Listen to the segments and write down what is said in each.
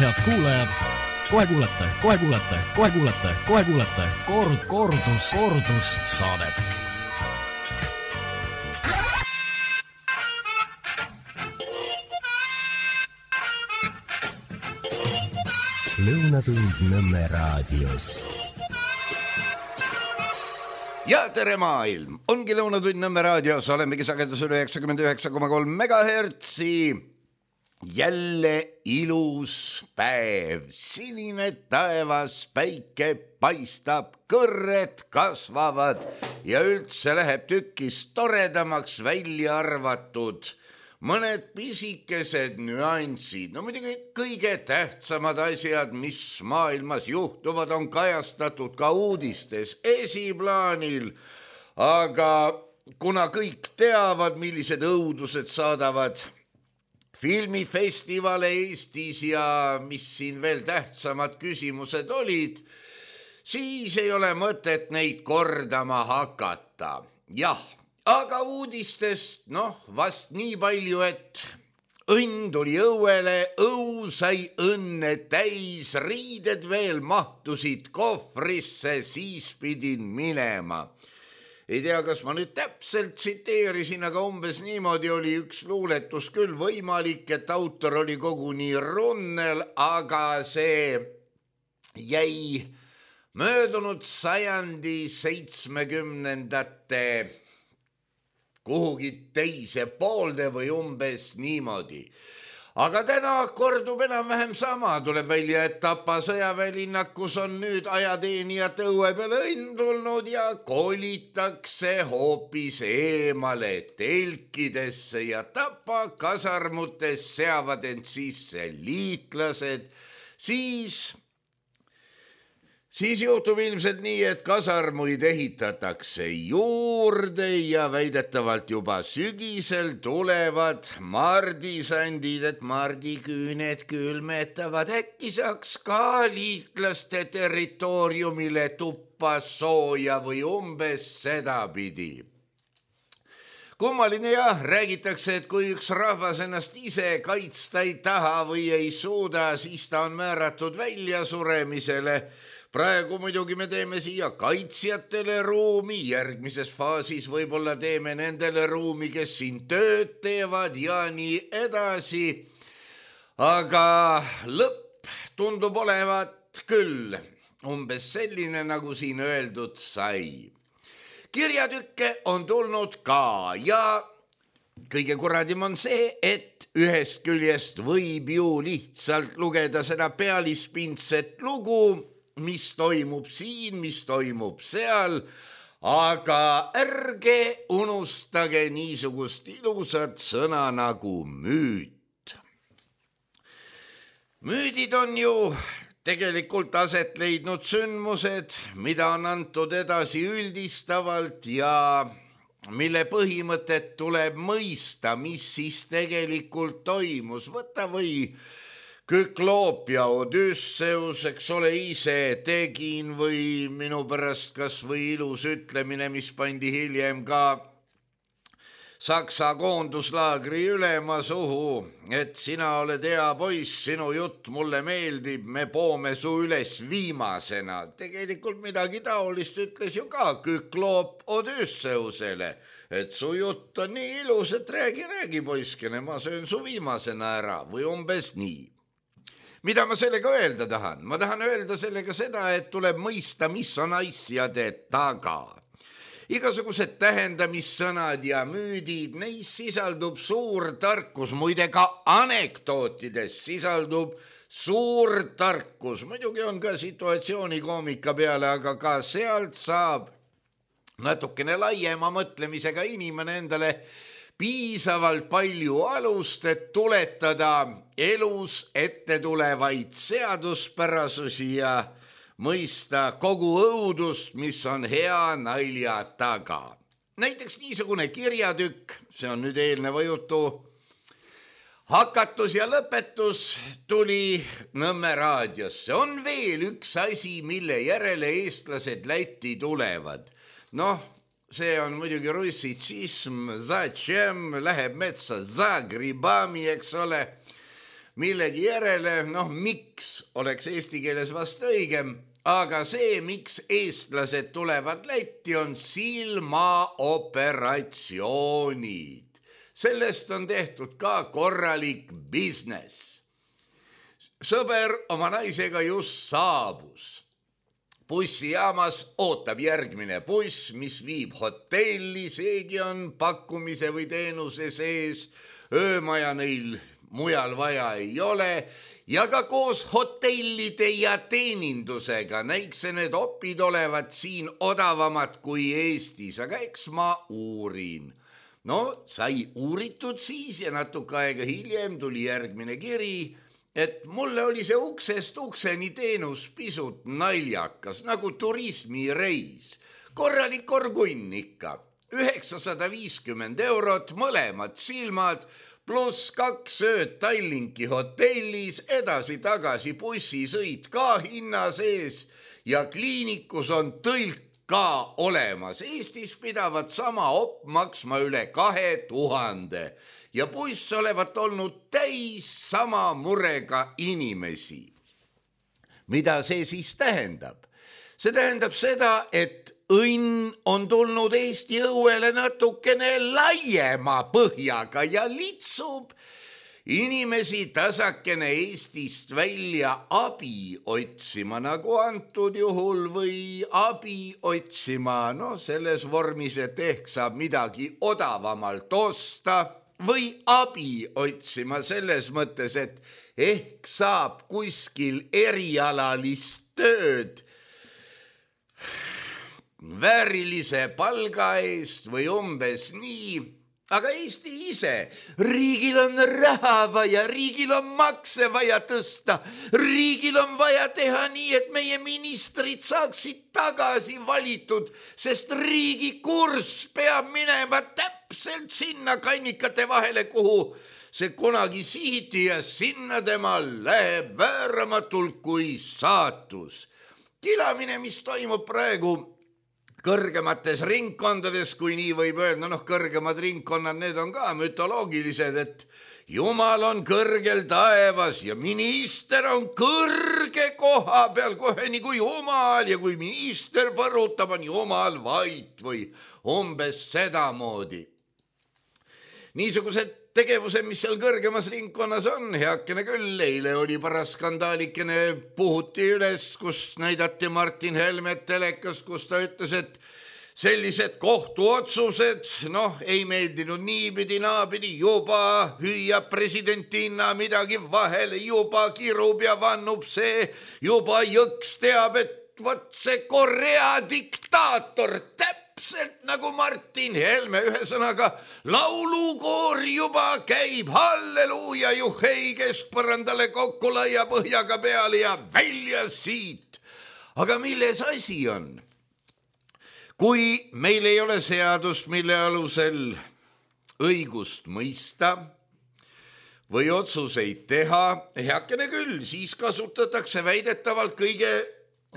Head kuulajad, kohe kuulete kordus saadet. Lõunatund Nõmme raadios. Ja tere maailm! Ongi Lõunatund Nõmme raadios, olemegi sagedusel 99,3 megahertsi. Jälle ilus päev, sinine taevas, päike paistab, kõrred kasvavad ja üldse läheb tükis toredamaks välja arvatud mõned pisikesed nüansid. No muidugi kõige tähtsamad asjad, mis maailmas juhtuvad, on kajastatud ka uudistes esiplaanil, aga kuna kõik teavad, millised õudused saadavad filmifestivale Eestis ja mis siin veel tähtsamad küsimused olid, siis ei ole mõtet neid kordama hakata. Jah, aga uudistest, vast nii palju, et õnn tuli õuele, õu sai õnne täis, riided veel mahtusid kohvrisse, siis pidin minema. Ei tea, kas ma nüüd täpselt tsiteerisin, aga umbes niimoodi oli üks luuletus küll võimalik, et autor oli koguni Runnel, aga see jäi möödunud sajandi 70ndate kuhugi teise poolde või umbes niimoodi. Aga täna kordub enam-vähem sama, tuleb välja, et Tapa sõjaväelinnakus on nüüd ajateenijate õue peale õnn tulnud ja kolitakse hoopis eemale telkidesse ja Tapa kasarmutes seavad end sisse liitlased, siis juhtub ilmselt nii, et kasarmuid ehitatakse juurde ja väidetavalt juba sügisel tulevad mardisandid, et mardiküüned külmetavad. Äkki saaks ka liitlaste territooriumile tuppa sooja või umbes sedapidi. Kummaline jah, räägitakse, et kui üks rahvas ennast ise kaitsta ei taha või ei suuda, siis ta on määratud väljasuremisele. Praegu muidugi me teeme siia kaitsjatele ruumi, järgmises faasis võib-olla teeme nendele ruumi, kes siin tööd teevad ja nii edasi. Aga lõpp tundub olevat küll umbes selline, nagu siin öeldud sai. Kirjatükke on tulnud ka ja kõige kuradim on see, et ühest küljest võib ju lihtsalt lugeda seda pealispindset lugu, mis toimub siin, mis toimub seal, aga ärge unustage niisugust ilusat sõna nagu müüt. Müüdid on ju tegelikult aset leidnud sündmused, mida on antud edasi üldistavalt ja mille põhimõtet tuleb mõista, mis siis tegelikult toimus. Võta või Kükloop ja Odysseus, eks ole, ise tegin või minu pärast kas või ilus ütlemine, mis pandi hiljem ka Saksa koonduslaagri ülema suhu, et sina oled hea poiss, sinu jutt mulle meeldib, me poome su üles viimasena. Tegelikult midagi taolist ütles ju ka Kükloop Odysseusele, et su jutt on nii ilus, et räägi poiskene, ma söön su viimasena ära või umbes nii. Mida ma sellega öelda tahan? Ma tahan öelda sellega seda, et tuleb mõista, mis on asjade taga. Igasugused tähendamissõnad ja müüdid, neis sisaldub suur tarkus, muide ka anekdootides sisaldub suur tarkus. Muidugi on ka situatsioonikoomika peale, aga ka sealt saab natukene laiema mõtlemisega inimene endale piisavalt palju alust, et tuletada elus ette tulevaid seaduspärasusi ja mõista kogu õudust, mis on hea nalja taga. Näiteks niisugune kirjatükk, see on nüüd eelneva jutu hakatus ja lõpetus, tuli Nõmme raadiosse. On veel üks asi, mille järele eestlased Lätti tulevad. See on muidugi russitsism, zatšem, läheb metsa za gribami, eks ole. millegi järele, miks oleks eesti keeles vast õigem, aga see, miks eestlased tulevad Lätti, on silmaoperatsioonid. Sellest on tehtud ka korralik business. Sõber oma naisega just saabus. Bussijaamas ootab järgmine buss, mis viib hotelli, seegi on pakkumise või teenuse sees. Öömaja neil mujal vaja ei ole ja ka koos hotellide ja teenindusega näikse need opid olevat siin odavamad kui Eestis, aga eks ma uurin. No, sai uuritud siis ja natuke aega hiljem tuli järgmine kiri, et mulle oli see uksest ukseni teenus pisut naljakas, nagu turismireis. Korralik korgunn ikka, 950 €, mõlemad silmad, pluss 2 ööd Tallinki hotellis, edasi-tagasi bussisõit ka hinna sees ja kliinikus on tõlk ka olemas. Eestis pidavat sama op maksma üle 2000 ja buss olevat olnud täis sama murega inimesi. Mida see siis tähendab? See tähendab seda, et õnn on tulnud Eesti õuele natukene laiema põhjaga ja litsub inimesi tasakene Eestist välja abi otsima, nagu antud juhul, või abi otsima, selles vormis, et ehk saab midagi odavamalt osta, või abi otsima selles mõttes, et ehk saab kuskil erialalist tööd väärilise palga eest või umbes nii. Aga Eesti ise, riigil on raha vaja, riigil on makse vaja tõsta, riigil on vaja teha nii, et meie ministrid saaksid tagasi valitud, sest riigi kurss peab minema täpselt sinna kannikate vahele, kuhu see kunagi sihiti ja sinna temal läheb vääramatult kui saatus. Kilamine, mis toimub praegu kõrgemates ringkondades, kui nii võib öelda, kõrgemad ringkonnad, need on ka mütoloogilised, et Jumal on kõrgel taevas ja minister on kõrge koha peal, kohe nii kui Jumal, ja kui minister põrutab, on Jumal vait või umbes sedamoodi. Niisugused tegevused, mis seal kõrgemas ringkonnas on, heakene küll, eile oli paras skandaalikene, puhuti üles, kus näidati Martin Helmet telekas, kus ta ütles, et sellised kohtuotsused, ei meeldinud niipidi, naapidi, juba hüüab presidentina midagi vahele, juba kirub ja vannub see, juba jõks teab, et vot see Korea diktaator täpselt nagu Martin Helme, ühesõnaga laulukoor juba käib, halleluuja, juhei, keskpõrandale kokku laia põhjaga peale ja välja siit. Aga milles asi on? Kui meil ei ole seadust, mille alusel õigust mõista või otsuseid teha, heakene küll, siis kasutatakse väidetavalt kõige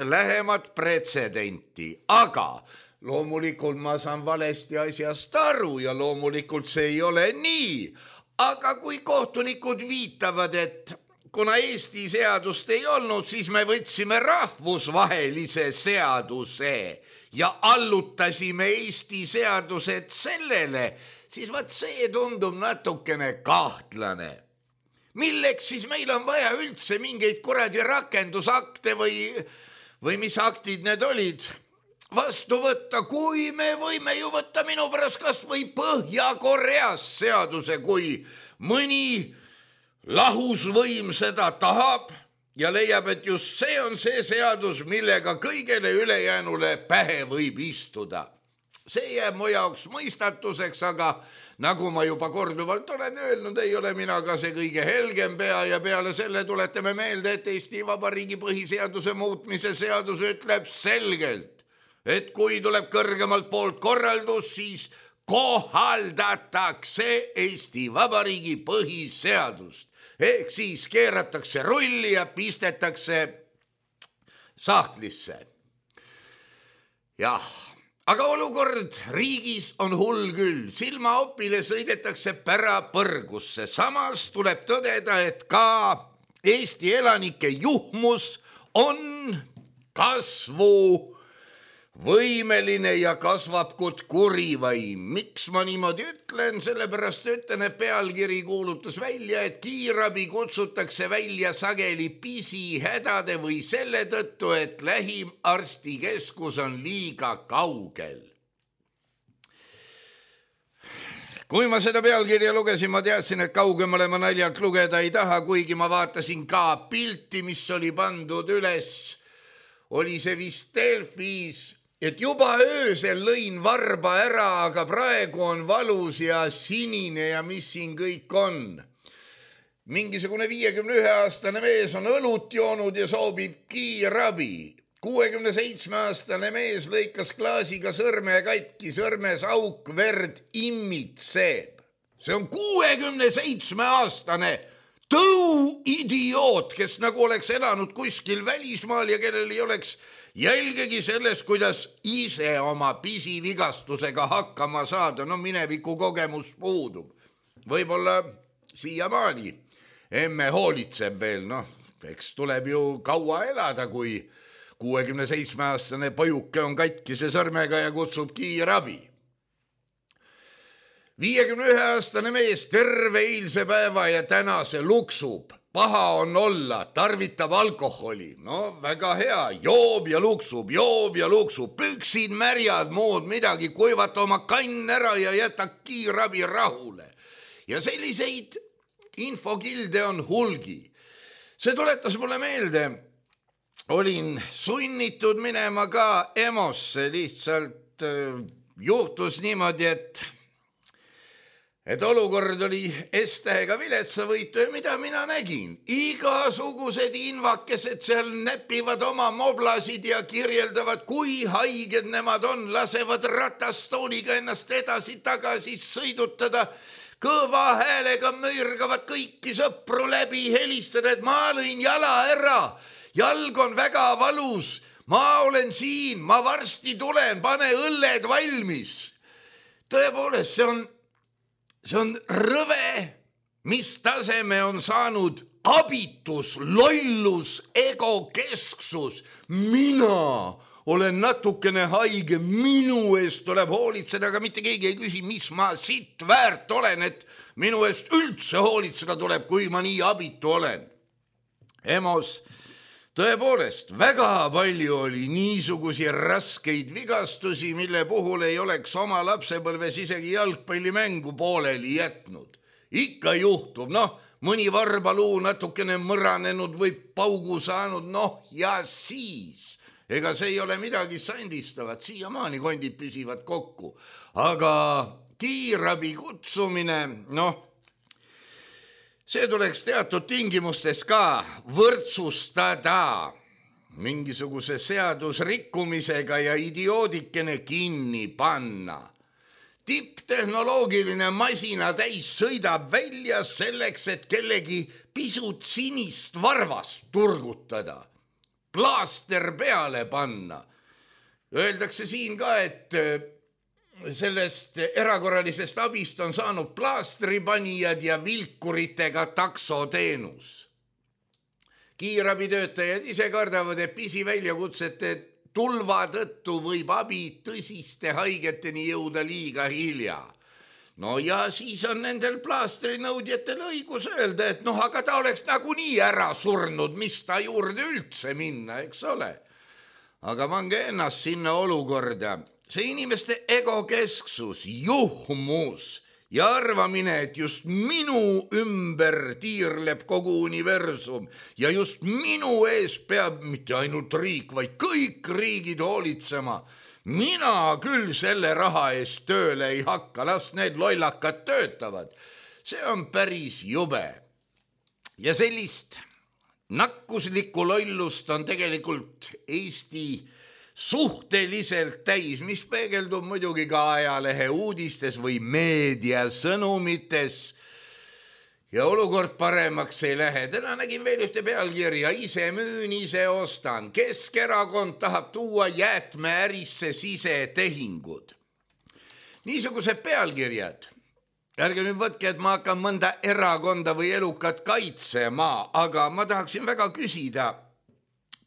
lähemat pretsedenti, aga loomulikult ma saan valesti asjast aru ja loomulikult see ei ole nii, aga kui kohtunikud viitavad, et kuna Eesti seadust ei olnud, siis me võtsime rahvusvahelise seaduse ja allutasime Eesti seadused sellele, siis vaat see tundub natukene kahtlane. Milleks siis meil on vaja üldse mingeid kuradi rakendusakte või mis aktid need olid vastu võtta, kui me võime ju võtta minu pärast kas või Põhja-Koreas seaduse, kui mõni lahusvõim seda tahab ja leiab, et just see on see seadus, millega kõigele ülejäänule pähe võib istuda. See jääb mu jaoks mõistatuseks, aga nagu ma juba korduvalt olen öelnud, ei ole mina ka see kõige helgem pea ja peale selle tuletame meelde, et Eesti Vabariigi põhiseaduse muutmise seadus ütleb selgelt, et kui tuleb kõrgemalt poolt korraldus, siis kohaldatakse Eesti Vabariigi põhiseadust. Ehk siis keeratakse rulli ja pistetakse sahtlisse. Jah, aga olukord riigis on hull küll, silmaopile sõidetakse pärapõrgusse, samas tuleb tõdeda, et ka Eesti elanike juhmus on kasvuvõimeline ja kasvab kui kurivaim. Miks ma niimoodi ütlen? Sellepärast ütlen, et pealkiri kuulutas välja, et kiirabi kutsutakse välja sageli pisihädade või selle tõttu, et lähim arstikeskus on liiga kaugel. Kui ma seda pealkirja lugesin, ma teadsin, et kaugemale ma naljalt lugeda ei taha, kuigi ma vaatasin ka pilti, mis oli pandud üles. Oli see vist Delfis, et juba öösel lõin varba ära, aga praegu on valus ja sinine ja mis siin kõik on. Mingisugune 51-aastane mees on õlut joonud ja soovib kiirabi. 67-aastane mees lõikas klaasiga sõrme katki, sõrmes auk, verd immitseb. See on 67-aastane tõuidioot, kes nagu oleks elanud kuskil välismaal ja kellel ei oleks jälgegi sellest, kuidas ise oma pisivigastusega hakkama saada. No mineviku kogemus puudub. Võib-olla siiamaani emme hoolitseb veel, eks tuleb ju kaua elada, kui 67-aastane pojuke on katkise sõrmega ja kutsub kiirabi. 51-aastane mees terve eilse päeva ja tänase luksub. Paha on olla, tarvitab alkoholi. No väga hea, joob ja luksub, püksid märjad, muud midagi, kuivata oma kann ära ja jäta kiirabi rahule. Ja selliseid infokilde on hulgi. See tuletas mulle meelde, olin sunnitud minema ka EMO-sse, lihtsalt juhtus niimoodi, et olukord oli S-tähega viletsavõitu ja mida mina nägin. Igasugused invakesed seal näpivad oma moblasid ja kirjeldavad, kui haiged nemad on, lasevad ratastooliga ennast edasi-tagasi sõidutada, kõva häälega mõirgavad kõiki sõpru läbi, helistada, et ma lõin jala ära. Jalg on väga valus, ma olen siin, ma varsti tulen, pane õlled valmis. Tõepoolest, see on rõve, mis taseme on saanud abitus, lollus, egokesksus. Mina olen natukene haige, minu eest tuleb hoolitseda, aga mitte keegi ei küsi, mis ma siit väärt olen, et minu eest üldse hoolitseda tuleb, kui ma nii abitu olen. EMO-s tõepoolest, väga palju oli niisugusi raskeid vigastusi, mille puhul ei oleks oma lapsepõlves isegi jalgpallimängu pooleli jätnud. Ikka juhtub, mõni varbaluu natukene mõranenud või paugu saanud, ja siis. Ega see ei ole midagi sandistavat, siiamaani kondid püsivad kokku. Aga kiirabi kutsumine, see tuleks teatud tingimustes ka võrdsustada mingisuguse seadusrikkumisega ja idioodikene kinni panna. Tipptehnoloogiline masina täis sõidab välja selleks, et kellegi pisut sinist varvast turgutada, plaaster peale panna. Öeldakse siin ka, et sellest erakorralisest abist on saanud plaastripanijad ja vilkuritega taksoteenus. Kiirabitöötajad ise kardavad, et pisiväljakutsete tulva tõttu võib abi tõsiste haigeteni jõuda liiga hilja. Ja siis on nendel plaastrinõudjatel õigus öelda, et aga ta oleks nagunii ära surnud, mis ta juurde üldse minna, eks ole. Aga pange ennast sinna olukorda. See inimeste egokesksus, juhmus ja arvamine, et just minu ümber tiirleb kogu universum ja just minu ees peab mitte ainult riik, vaid kõik riigid hoolitsema. Mina küll selle raha eest tööle ei hakka, las need lollakad töötavad. See on päris jube. Ja sellist nakkuslikku lollust on tegelikult Eesti suhteliselt täis, mis peegeldub muidugi ka ajalehe uudistes või meedia sõnumites. ja olukord paremaks ei lähe. Täna nägin veel ühte pealkirja, ise müün, ise ostan. Keskerakond tahab tuua jäätmeärisse sisetehingud. Niisugused pealkirjad. Ärge nüüd võtke, et ma hakkan mõnda erakonda või elukat kaitsema, aga ma tahaksin väga küsida,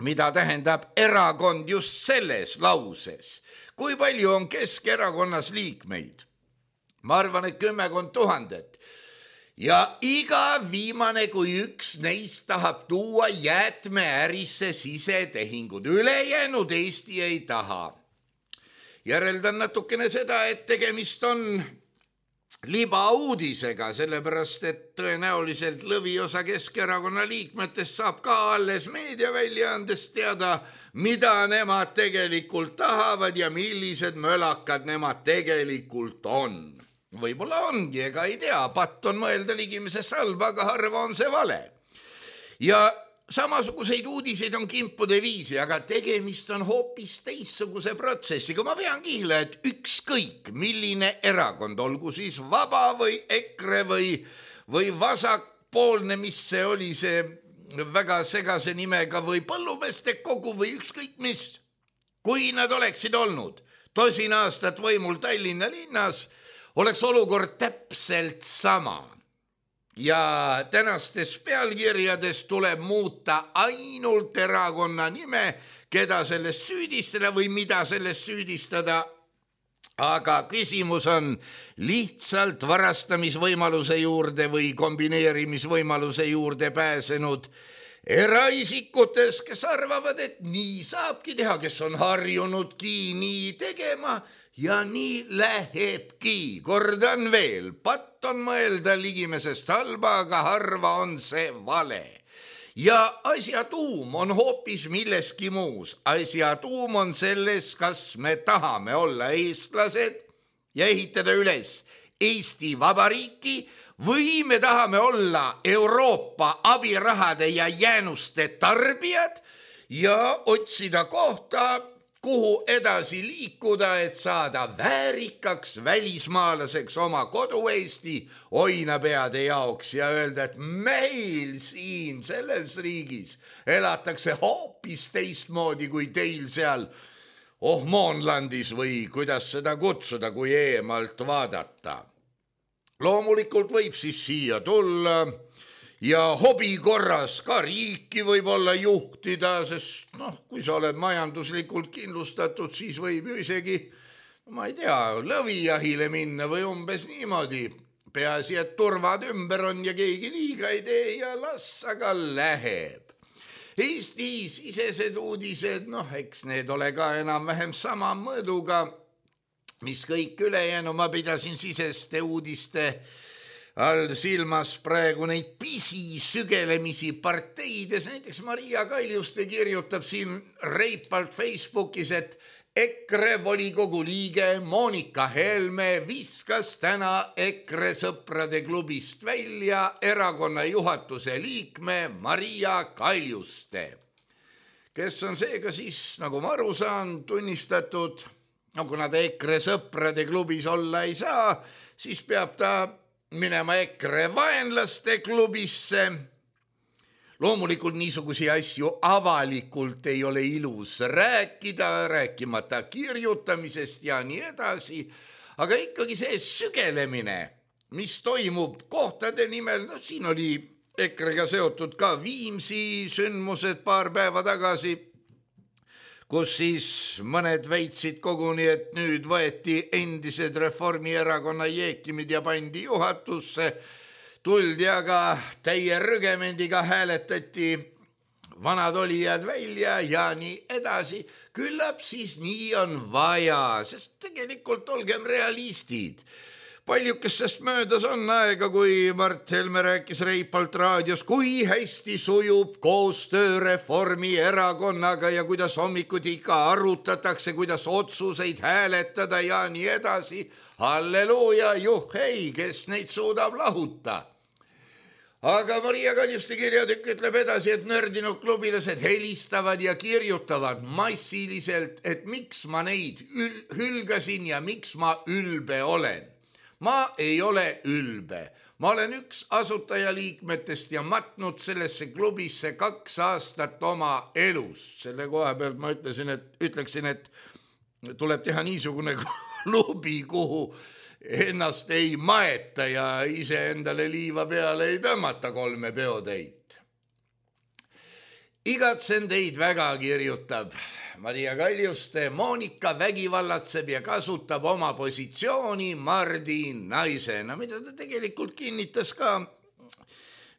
mida tähendab erakond just selles lauses. Kui palju on Keskerakonnas liikmeid? Ma arvan, et 10 000. Ja iga viimane kui üks neist tahab tuua jäätmeärisse sisetehingud. Ülejäänud Eesti ei taha. Järeldan natukene seda, et tegemist on libauudisega, sellepärast, et tõenäoliselt lõviosa Keskerakonna liikmetest saab ka alles meediaväljaandest teada, mida nemad tegelikult tahavad ja millised mölakad nemad tegelikult on. Võib-olla ongi, ega ei tea, patt on mõelda ligimisest halba, aga harva on see vale. Ja samasuguseid uudiseid on kimpude viisi, aga tegemist on hoopis teissuguse protsessiga. Ma pean kihla, et ükskõik milline erakond, olgu siis Vaba või EKRE või vasakpoolne, mis see oli see väga segase nimega või põllumeeste kogu või ükskõik mis, kui nad oleksid olnud 10 aastat võimul Tallinna linnas, oleks olukord täpselt sama. Ja tänastes pealkirjades tuleb muuta ainult erakonna nime, keda sellest süüdistada või mida sellest süüdistada. Aga küsimus on lihtsalt varastamisvõimaluse juurde või kombineerimisvõimaluse juurde pääsenud eraisikutes, kes arvavad, et nii saabki teha, kes on harjunudki nii tegema. Ja nii lähebki. Kordan veel, patt on mõelda ligimesest halba, aga harva on see vale. Ja asja tuum on hoopis milleski muus. Asja tuum on selles, kas me tahame olla eestlased ja ehitada üles Eesti Vabariiki või me tahame olla Euroopa abirahade ja jäänuste tarbijad ja otsida kohta, kuhu edasi liikuda, et saada väärikaks välismaalaseks oma kodu Eesti oinapeade jaoks ja öelda, et meil siin selles riigis elatakse hoopis teistmoodi kui teil seal Ohmoonlandis või kuidas seda kutsuda, kui eemalt vaadata. Loomulikult võib siis siia tulla ja hobi korras ka riiki võib-olla juhtida, sest kui sa oled majanduslikult kindlustatud, siis võib ju isegi, ma ei tea, lõvijahile minna või umbes niimoodi. Peaasi, et turvad ümber on ja keegi liiga ei tee ja las aga läheb. Eesti sisesed uudised, eks need ole ka enam-vähem sama mõõduga, mis kõik ülejäänu. Ma pidasin siseste uudiste all silmas praegu neid pisisügelemisi parteides. Näiteks Maria Kaljuste kirjutab siin reipalt Facebookis, et EKRE volikogu liige Monika Helme viskas täna EKRE sõprade klubist välja erakonna juhatuse liikme Maria Kaljuste, kes on seega siis, nagu ma aru saan, tunnistatud, kuna ta EKRE sõprade klubis olla ei saa, siis peab ta minema EKRE vaenlaste klubisse. Loomulikult niisugusi asju avalikult ei ole ilus rääkida, rääkimata kirjutamisest ja nii edasi, aga ikkagi see sügelemine, mis toimub kohtade nimel, siin oli EKRE-ga seotud ka Viimsi sündmused paar päeva tagasi, kus siis mõned väitsid koguni, et nüüd võeti endised Reformierakonna jeekimid ja pandi juhatusse, tuldi aga täie rügemendiga hääletati vanad olijad välja ja nii edasi. Küllap siis nii on vaja, sest tegelikult olgem realistid. Paljukestest möödas on aega, kui Mart Helme rääkis reipalt raadios, kui hästi sujub koostöö Reformierakonnaga ja kuidas hommikuti ikka arutatakse, kuidas otsuseid hääletada ja nii edasi. Halleluuja, juhhei, kes neid suudab lahuta. Aga Maria Kaljuste kirjatükk ütleb edasi, et nördinud klubilased helistavad ja kirjutavad massiliselt, et miks ma neid hülgasin ja miks ma ülbe olen. Ma ei ole ülbe. Ma olen üks asutajaliikmetest ja matnud sellesse klubisse 2 aastat oma elust. Selle koha pealt ma ütleksin, et tuleb teha niisugune klubi, kuhu ennast ei maeta ja ise endale liiva peale ei tõmmata 3 peotäit. Igatsen teid väga, kirjutab Maria Kaljuste. Monika vägivallatseb ja kasutab oma positsiooni Mardi naisena, mida ta tegelikult kinnitas ka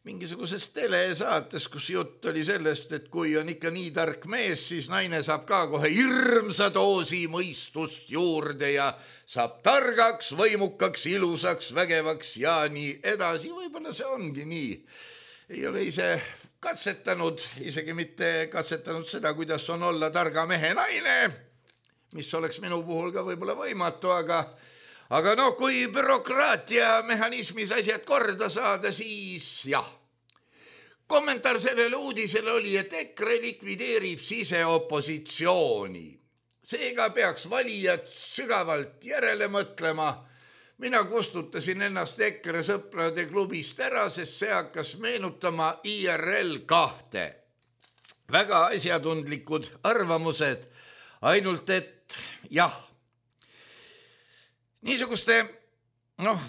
mingisuguses telesaates, kus jutt oli sellest, et kui on ikka nii tark mees, siis naine saab ka kohe hirmsa doosi mõistust juurde ja saab targaks, võimukaks, ilusaks, vägevaks ja nii edasi. Võib-olla see ongi nii. Ei ole ise katsetanud, isegi mitte katsetanud seda, kuidas on olla targa mehe naine, mis oleks minu puhul ka võib-olla võimatu, aga no kui bürokraatia mehhanismis asjad korda saada, siis jah. Kommentaar sellele uudisele oli, et EKRE likvideerib siseopositsiooni. Seega peaks valijad sügavalt järele mõtlema. Mina kustutasin ennast EKRE sõprade klubist ära, sest see hakkas meenutama IRL 2. Väga asjatundlikud arvamused, ainult et jah, niisuguste,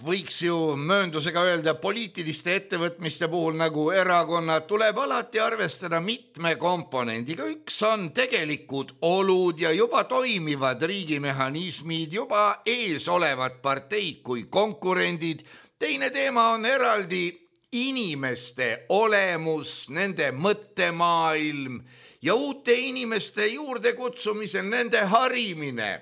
võiks ju mööndusega öelda, poliitiliste ettevõtmiste puhul nagu erakonnad tuleb alati arvestada mitme komponendiga. Üks on tegelikud olud ja juba toimivad riigimehhanismid, juba ees olevad parteid kui konkurendid. Teine teema on eraldi inimeste olemus, nende mõttemaailm ja uute inimeste juurde kutsumisel nende harimine.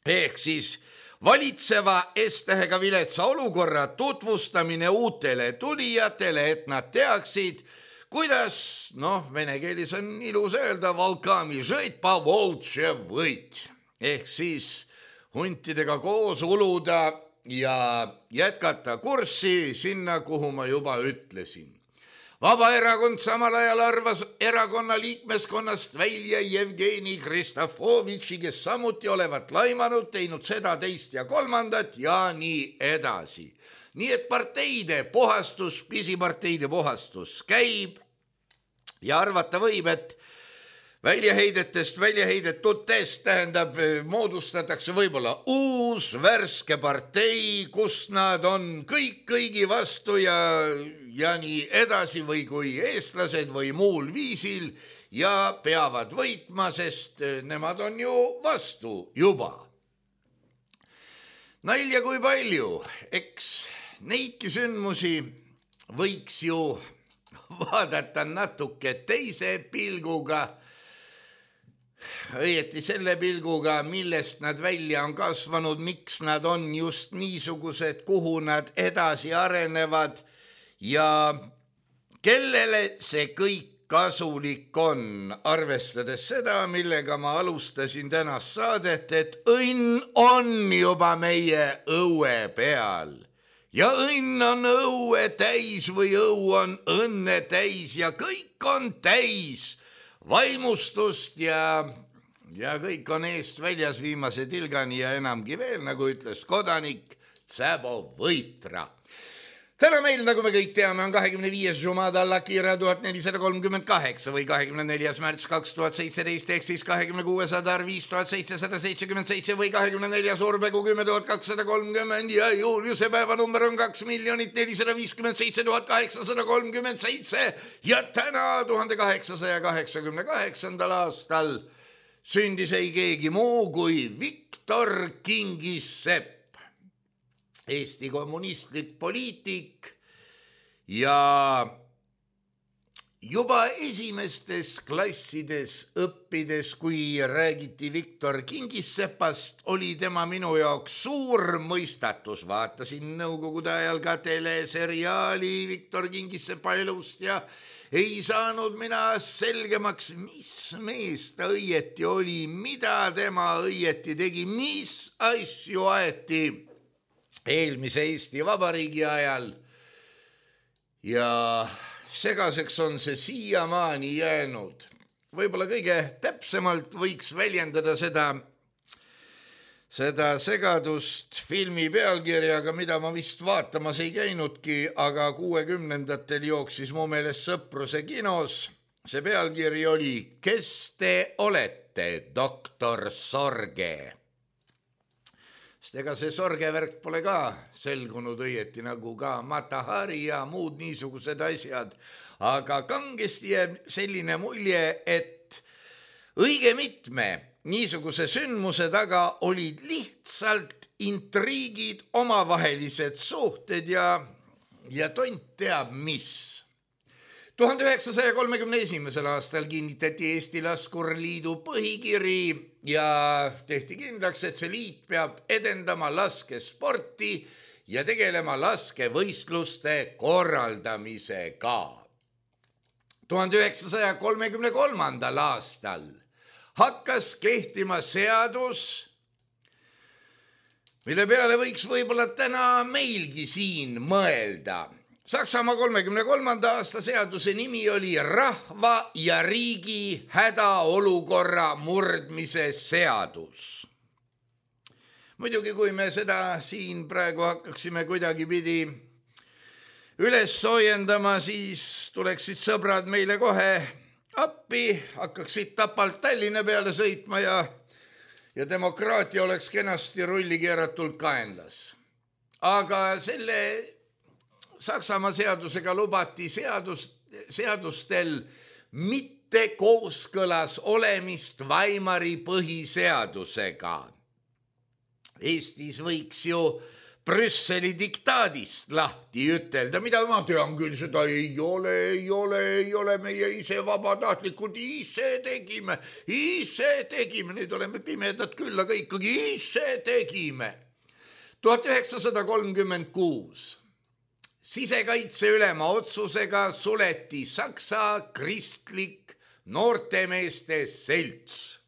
Ehk siis valitseva S-tähega viletsa olukorra tutvustamine uutele tulijatele, et nad teaksid, kuidas, vene keelis on ilus öelda, volkami žõit pa voltše võit. Ehk siis huntidega koos uluda ja jätkata kurssi sinna, kuhu ma juba ütlesin. Vabaerakond samal ajal arvas erakonna liikmeskonnast välja Jevgeni Kristofovitši, kes samuti olevat laimanud, teinud seda, teist ja kolmandat ja nii edasi. Nii et parteide puhastus, pisiparteide puhastus käib ja arvata võib, et väljaheidetutest tähendab, moodustatakse võib-olla uus värske partei, kus nad on kõik kõigi vastu ja nii edasi või kui eestlased või muul viisil ja peavad võitma, sest nemad on ju vastu juba. Nalja kui palju, eks neidki sündmusi võiks ju vaadata natuke teise pilguga, õieti selle pilguga, millest nad välja on kasvanud, miks nad on just niisugused, kuhu nad edasi arenevad ja kellele see kõik kasulik on, arvestades seda, millega ma alustasin tänast saadet, et õnn on juba meie õue peal ja õnn on õue täis või õu on õnne täis ja kõik on täis vaimustust ja kõik on eest väljas viimase tilgani ja enamgi veel, nagu ütles kodanik Tsabo Võitra. Täna meil, nagu me kõik teame, on 25. Jumada Lakira 1438 või 24. märts 2017 ehk siis 26. Adar 5777 või 24. Urbegu 10230 ja Juliuse päevanumber on 2 457 837 ja täna 1888. aastal sündis ei keegi muu kui Viktor Kingissepp, Eesti kommunistlik poliitik ja juba esimestes klassides õppides, kui räägiti Viktor Kingissepast, oli tema minu jaoks suur mõistatus. Vaatasin nõukogude ajal ka teleseriaali Viktor Kingissepa elust ja ei saanud mina selgemaks, mis mees ta õieti oli, mida tema õieti tegi, mis asju aeti eelmise Eesti Vabariigi ajal ja segaseks on see siiamaani jäänud. Võib-olla kõige täpsemalt võiks väljendada seda seda segadust filmi pealkirjaga, mida ma vist vaatamas ei käinudki, aga 60-ndatel jooksis mu meelest Sõpruse kinos. See pealkiri oli Kes te olete, doktor Sorge? Sest ega see sorgevärk pole ka selgunud õieti nagu ka Mata Hari ja muud niisugused asjad, aga kangesti jääb selline mulje, et õige mitme niisuguse sündmuse taga olid lihtsalt intriigid, omavahelised suhted ja tont teab mis. 1931. aastal kinnitati Eesti Laskurliidu põhikiri ja tehti kindlaks, et see liit peab edendama laskesporti ja tegelema laskevõistluste korraldamisega. 1933. aastal hakkas kehtima seadus, mille peale võiks võib-olla täna meilgi siin mõelda. Saksamaa 33. aasta seaduse nimi oli rahva ja riigi hädaolukorra murdmise seadus. Muidugi, kui me seda siin praegu hakkaksime kuidagipidi üles soojendama, siis tuleksid sõbrad meile kohe appi, hakkaksid Tapalt Tallinna peale sõitma ja demokraatia oleks kenasti rulli keeratult kaenlas. Aga selle Saksamaa seadusega lubati seadustel mitte kooskõlas olemist Weimari põhiseadusega. Eestis võiks ju Brüsseli diktaadist lahti ütelda, mida ma tean küll, seda ei ole, meie ise vabatahtlikud ise tegime, nüüd oleme pimedad küll, aga ikkagi ise tegime. 1936 sisekaitse ülema otsusega suleti Saksa kristlik noortemeeste selts.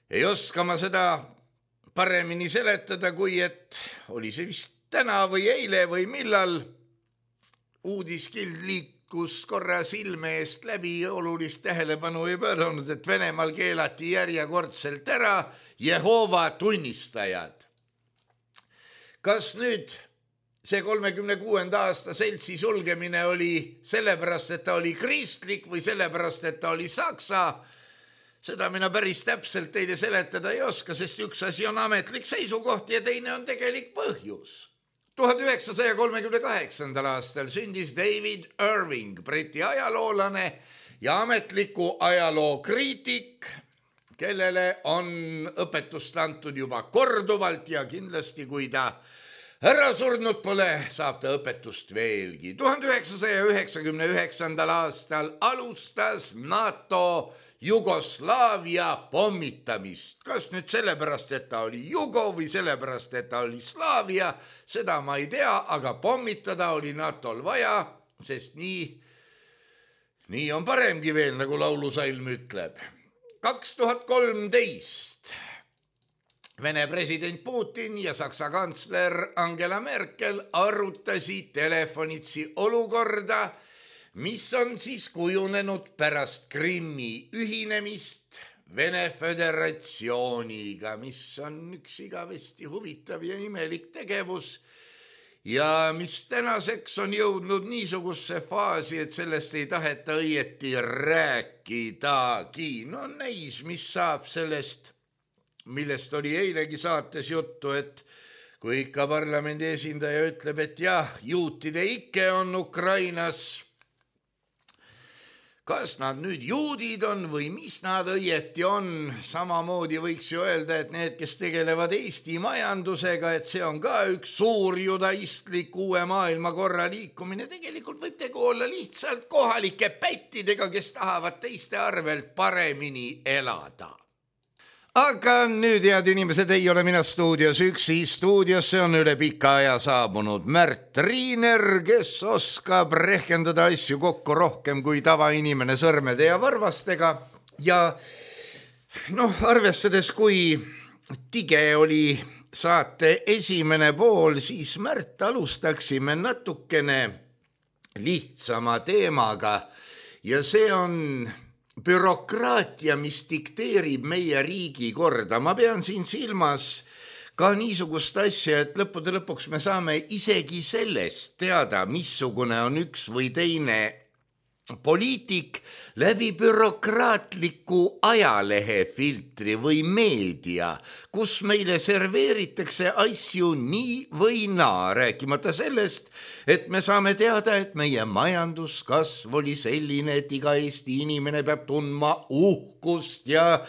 Ei oska ma seda paremini seletada, kui et oli see vist täna või eile või millal uudiskild liikus korra silme eest läbi, olulist tähelepanu ei pööranud, et Venemaal keelati järjekordselt ära Jehoova tunnistajad. Kas nüüd see 36. aasta seltsi sulgemine oli sellepärast, et ta oli kristlik või sellepärast, et ta oli saksa? Seda mina päris täpselt teile seletada ei oska, sest üks asi on ametlik seisukoht ja teine on tegelik põhjus. 1938. aastal sündis David Irving, Briti ajaloolane ja ametliku ajaloo kriitik, kellele on õpetust antud juba korduvalt ja kindlasti, kui ta ära surnud pole, saab ta õpetust veelgi. 1999. aastal alustas NATO Jugoslaavia pommitamist. Kas nüüd sellepärast, et ta oli Jugo või sellepärast, et ta oli Slaavia, seda ma ei tea, aga pommitada oli NATOl vaja, sest nii on paremgi veel, nagu laulusalm ütleb. 2013 Vene president Putin ja Saksa kantsler Angela Merkel arutasid telefonitsi olukorda, mis on siis kujunenud pärast Krimmi ühinemist Vene Föderatsiooniga, mis on üks igavesti huvitav ja imelik tegevus ja mis tänaseks on jõudnud niisugusse faasi, et sellest ei taheta õieti rääkidagi. No näis, mis saab sellest, millest oli eilegi saates juttu, et kui ikka parlamendi esindaja ütleb, et jah, juutide ikke on Ukrainas, kas nad nüüd juudid on või mis nad õieti on, samamoodi võiks ju öelda, et need, kes tegelevad Eesti majandusega, et see on ka üks suur judaistlik uue maailmakorra liikumine, tegelikult võib tegu olla lihtsalt kohalike pättidega, kes tahavad teiste arvelt paremini elada. Aga nüüd, head inimesed, ei ole mina stuudios üksi. Stuudiosse on üle pika aja saabunud Märt Riiner, kes oskab rehkendada asju kokku rohkem kui tavainimene sõrmede ja varvastega. Ja arvestades, kui tige oli saate esimene pool, siis Märt alustaksime natukene lihtsama teemaga ja see on bürokraatia, mis dikteerib meie riigi korda. Ma pean siin silmas ka niisugust asja, et lõppude lõpuks me saame isegi sellest teada, missugune on üks või teine poliitik läbi bürokraatliku ajalehefiltri või meedia, kus meile serveeritakse asju nii või naa, rääkimata sellest, et me saame teada, et meie majanduskasv oli selline, et iga Eesti inimene peab tundma uhkust ja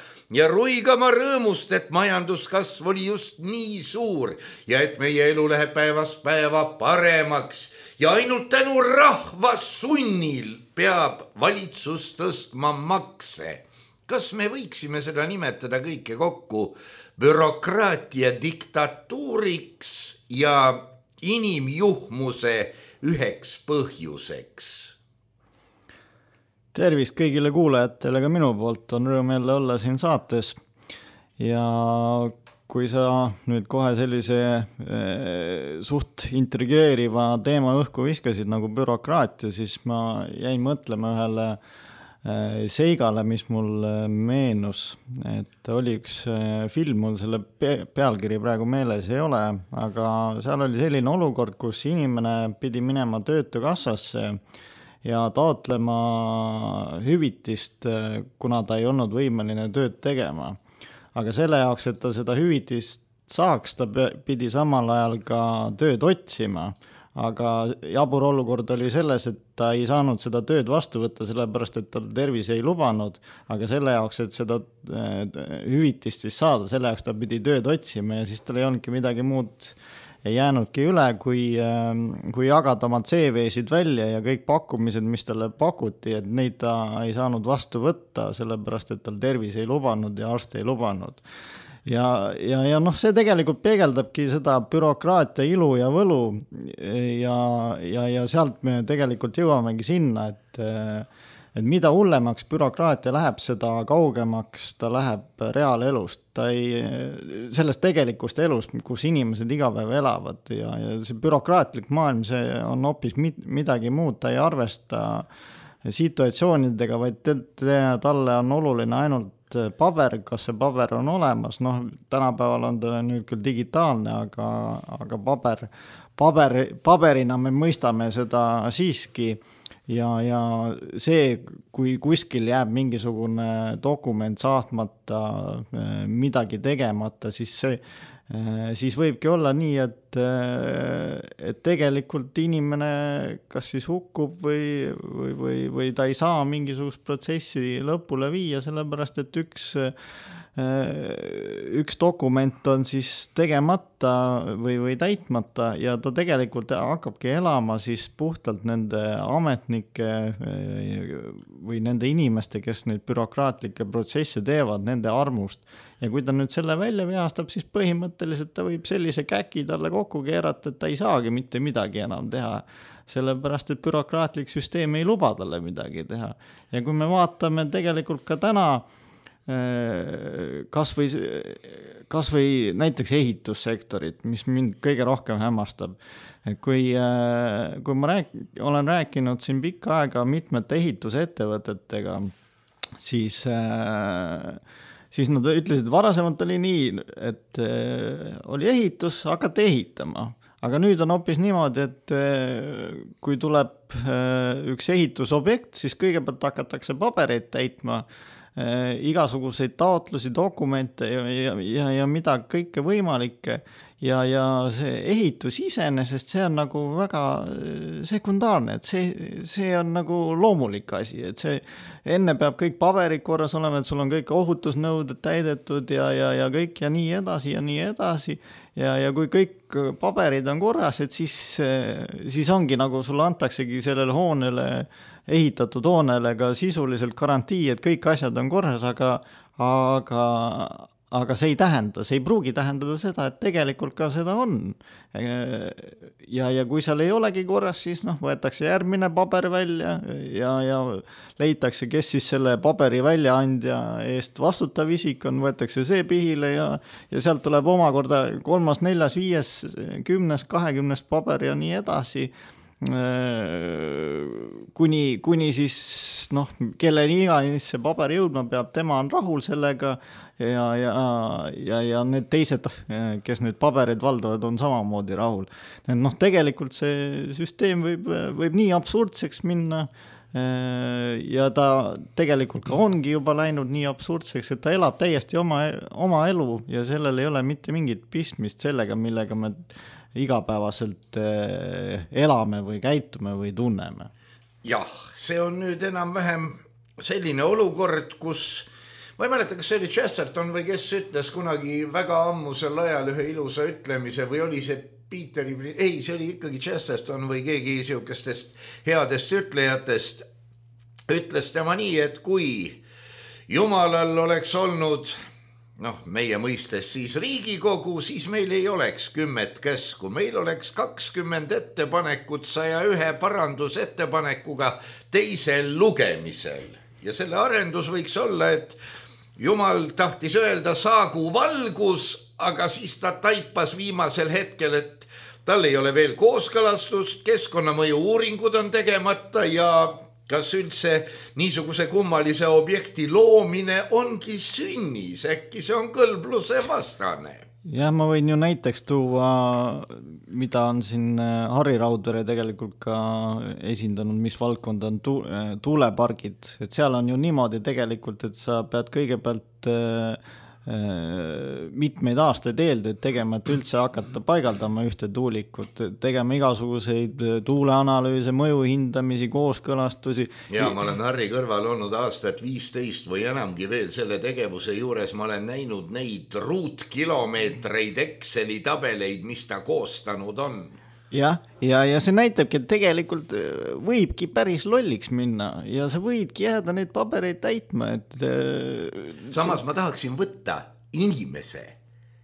ruigama rõõmust, et majanduskasv oli just nii suur ja et meie elu läheb päevast päeva paremaks ja ainult tänu rahva sunnil peab valitsus tõstma makse. Kas me võiksime seda nimetada kõike kokku bürokraatia diktatuuriks ja inimjuhmuse üheks põhjuseks? Tervist kõigile kuulajatele, ka minu poolt on rõõm jälle olla siin saates ja kui sa nüüd kohe sellise suht intrigeeriva teema õhku viskasid nagu bürokraatia, siis ma jäin mõtlema ühele seigale, mis mul meenus, et oli üks film, mul selle pealkiri praegu meeles ei ole, aga seal oli selline olukord, kus inimene pidi minema töötukassasse ja taotlema hüvitist, kuna ta ei olnud võimeline tööd tegema. Aga selle jaoks, et ta seda hüvitist saaks, ta pidi samal ajal ka tööd otsima. Aga jabur olukord oli selles, et ta ei saanud seda tööd vastu võtta, sellepärast, et tal tervis ei lubanud. Aga selle jaoks, et seda hüvitist siis saada, selle jaoks ta pidi tööd otsima ja siis tal ei olnudki midagi muud ei jäänudki üle, kui jagada oma CV-sid välja ja kõik pakkumised, mis talle pakuti, et neid ta ei saanud vastu võtta, sellepärast, et tal tervis ei lubanud ja arst ei lubanud. Ja see tegelikult peegeldabki seda bürokraatia ilu ja võlu ja sealt me tegelikult jõuamegi sinna, et mida hullemaks bürokraatia läheb, seda kaugemaks ta läheb reaalelust, sellest tegelikust elust, kus inimesed iga päev elavad ja see bürokraatlik maailm, see on hoopis midagi muud, ta ei arvesta situatsioonidega, vaid talle on oluline ainult paber, kas see paber on olemas, tänapäeval on ta nüüd küll digitaalne, aga paberina me mõistame seda siiski. Ja see, kui kuskil jääb mingisugune dokument saatmata, midagi tegemata, siis võibki olla nii, et tegelikult inimene kas siis hukkub või ta ei saa mingisugust protsessi lõpule viia, sellepärast, et üks dokument on siis tegemata või täitmata ja ta tegelikult hakkabki elama siis puhtalt nende ametnike või nende inimeste, kes neid bürokraatlikke protsesse teevad, nende armust. Ja kui ta nüüd selle välja vihastab, siis põhimõtteliselt ta võib sellise käki talle kokku keerata, et ta ei saagi mitte midagi enam teha. Sellepärast, et bürokraatlik süsteem ei luba talle midagi teha. Ja kui me vaatame tegelikult ka täna kas või näiteks ehitussektorit, mis mind kõige rohkem hämmastab. Kui ma olen rääkinud siin pikka aega mitmete ehitusettevõtetega, siis nad ütlesid, varasemalt oli nii, et oli ehitus, hakati ehitama. Aga nüüd on hoopis niimoodi, et kui tuleb üks ehitusobjekt, siis kõigepealt hakatakse pabereid täitma, igasuguseid taotlusi, dokumente ja mida kõike võimalikke ja see ehitus iseenesest, see on nagu väga sekundaarne, et see on nagu loomulik asi, et see enne peab kõik paberid korras olema, et sul on kõik ohutusnõuded täidetud ja kõik ja nii edasi ja kui kõik paberid on korras, et siis ongi nagu sulle antaksegi sellele hoonele ehitatud hoonele ka sisuliselt garantii, et kõik asjad on korras, aga see ei pruugi tähendada seda, et tegelikult ka seda on. Ja kui seal ei olegi korras, siis võetakse järgmine paber välja ja leitakse, kes siis selle paberi väljaandja eest vastutav isik on, võetakse see pihile ja sealt tuleb omakorda 3., 4., 5., 10., 20. paber ja nii edasi. kuni siis kelleni iganes see paber jõudma peab, tema on rahul sellega ja need teised, kes need pabereid valdavad, on samamoodi rahul. Tegelikult see süsteem võib nii absurdseks minna ja ta tegelikult ka ongi juba läinud nii absurdseks, et ta elab täiesti oma elu ja sellel ei ole mitte mingit pistmist sellega, millega me igapäevaselt elame või käitume või tunneme. Jah, see on nüüd enam-vähem selline olukord, kus ma ei mäleta, kas see oli Chesterton või kes ütles kunagi väga ammusel ajal ühe ilusa ütlemise või oli see see oli ikkagi Chesterton või keegi siukestest headest ütlejatest, ütles tema nii, et kui Jumalal oleks olnud, meie mõistes siis Riigikogu, siis meil ei oleks 10 käsku, meil oleks 20 ettepanekut 101 parandusettepanekuga teisel lugemisel. Ja selle arendus võiks olla, et Jumal tahtis öelda saagu valgus, aga siis ta taipas viimasel hetkel, et tal ei ole veel kooskõlastust, keskkonnamõju uuringud on tegemata ja kas üldse niisuguse kummalise objekti loomine ongi sünnis, äkki see on kõlbluse vastane. Ja ma võin ju näiteks tuua, mida on siin Harri Raudvere tegelikult ka esindanud, mis valdkond on tuulepargid, et seal on ju niimoodi tegelikult, et sa pead kõigepealt mitmeid aastaid eeltööd tegema, et üldse hakata paigaldama ühte tuulikut, tegema igasuguseid tuuleanalüüse, mõjuhindamisi, kooskõlastusi. Ja ma olen Harri kõrval olnud aastat 15 või enamgi veel selle tegevuse juures, ma olen näinud neid ruutkilomeetreid Exceli tabeleid, mis ta koostanud on. Ja see näitabki, et tegelikult võibki päris lolliks minna ja sa võidki jääda neid pabereid täitma. Samas ma tahaksin võtta inimese,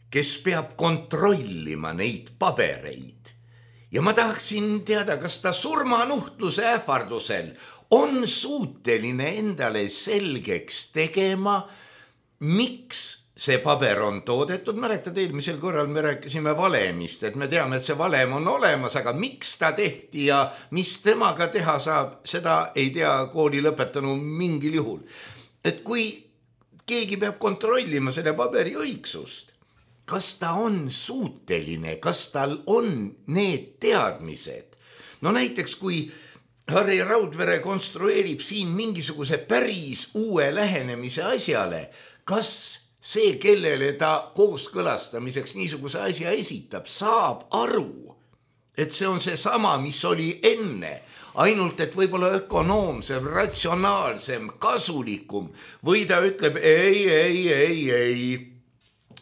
kes peab kontrollima neid pabereid. Ja ma tahaksin teada, kas ta surmanuhtluse ähvardusel on suuteline endale selgeks tegema, miks see paber on toodetud. Mäletad, eelmisel korral me rääkisime valemist, et me teame, et see valem on olemas, aga miks ta tehti ja mis temaga teha saab, seda ei tea kooli lõpetanu mingil juhul. Et kui keegi peab kontrollima selle paberi õigsust, kas ta on suuteline, kas tal on need teadmised? Näiteks kui Harri Raudvere konstrueerib siin mingisuguse päris uue lähenemise asjale, kas see, kellele ta kooskõlastamiseks niisuguse asja esitab, saab aru, et see on see sama, mis oli enne, ainult et võib-olla ökonoomsem, ratsionaalsem, kasulikum või ta ütleb ei,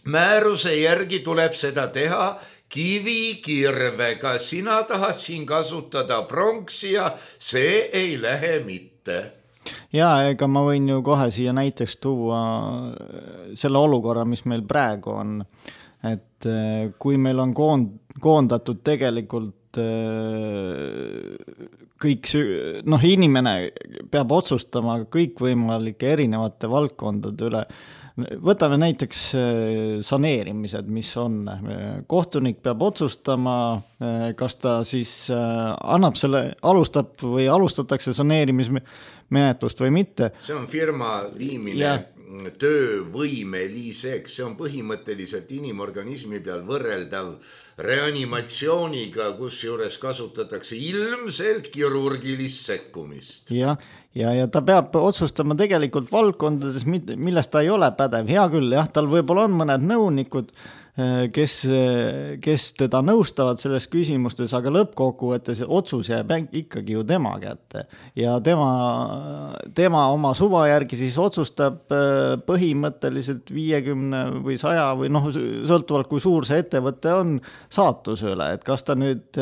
määruse järgi tuleb seda teha kivikirvega, sina tahad siin kasutada pronksi ja see ei lähe mitte. Ja ega ma võin ju kohe siia näiteks tuua selle olukorra, mis meil praegu on, et kui meil on koondatud tegelikult kõik, inimene peab otsustama kõikvõimalike erinevate valdkondade üle. Võtame näiteks saneerimised, mis on. Kohtunik peab otsustama, kas ta siis annab selle, alustab või alustatakse saneerimismenetlust või mitte. See on firma viimine töövõimeliseks, see on põhimõtteliselt inimorganismi peal võrreldav reanimatsiooniga, kus juures kasutatakse ilmselt kirurgilist sekkumist. Ja ta peab otsustama tegelikult valdkondades, millest ta ei ole pädev. Hea küll, tal võib-olla on mõned nõunikud, kes teda nõustavad selles küsimustes, aga lõppkokkuvõttes otsus jääb ikkagi ju tema kätte. Ja tema oma suva järgi siis otsustab põhimõtteliselt 50 või 100 või sõltuvalt kui suur see ettevõte on saatuse üle, et kas ta nüüd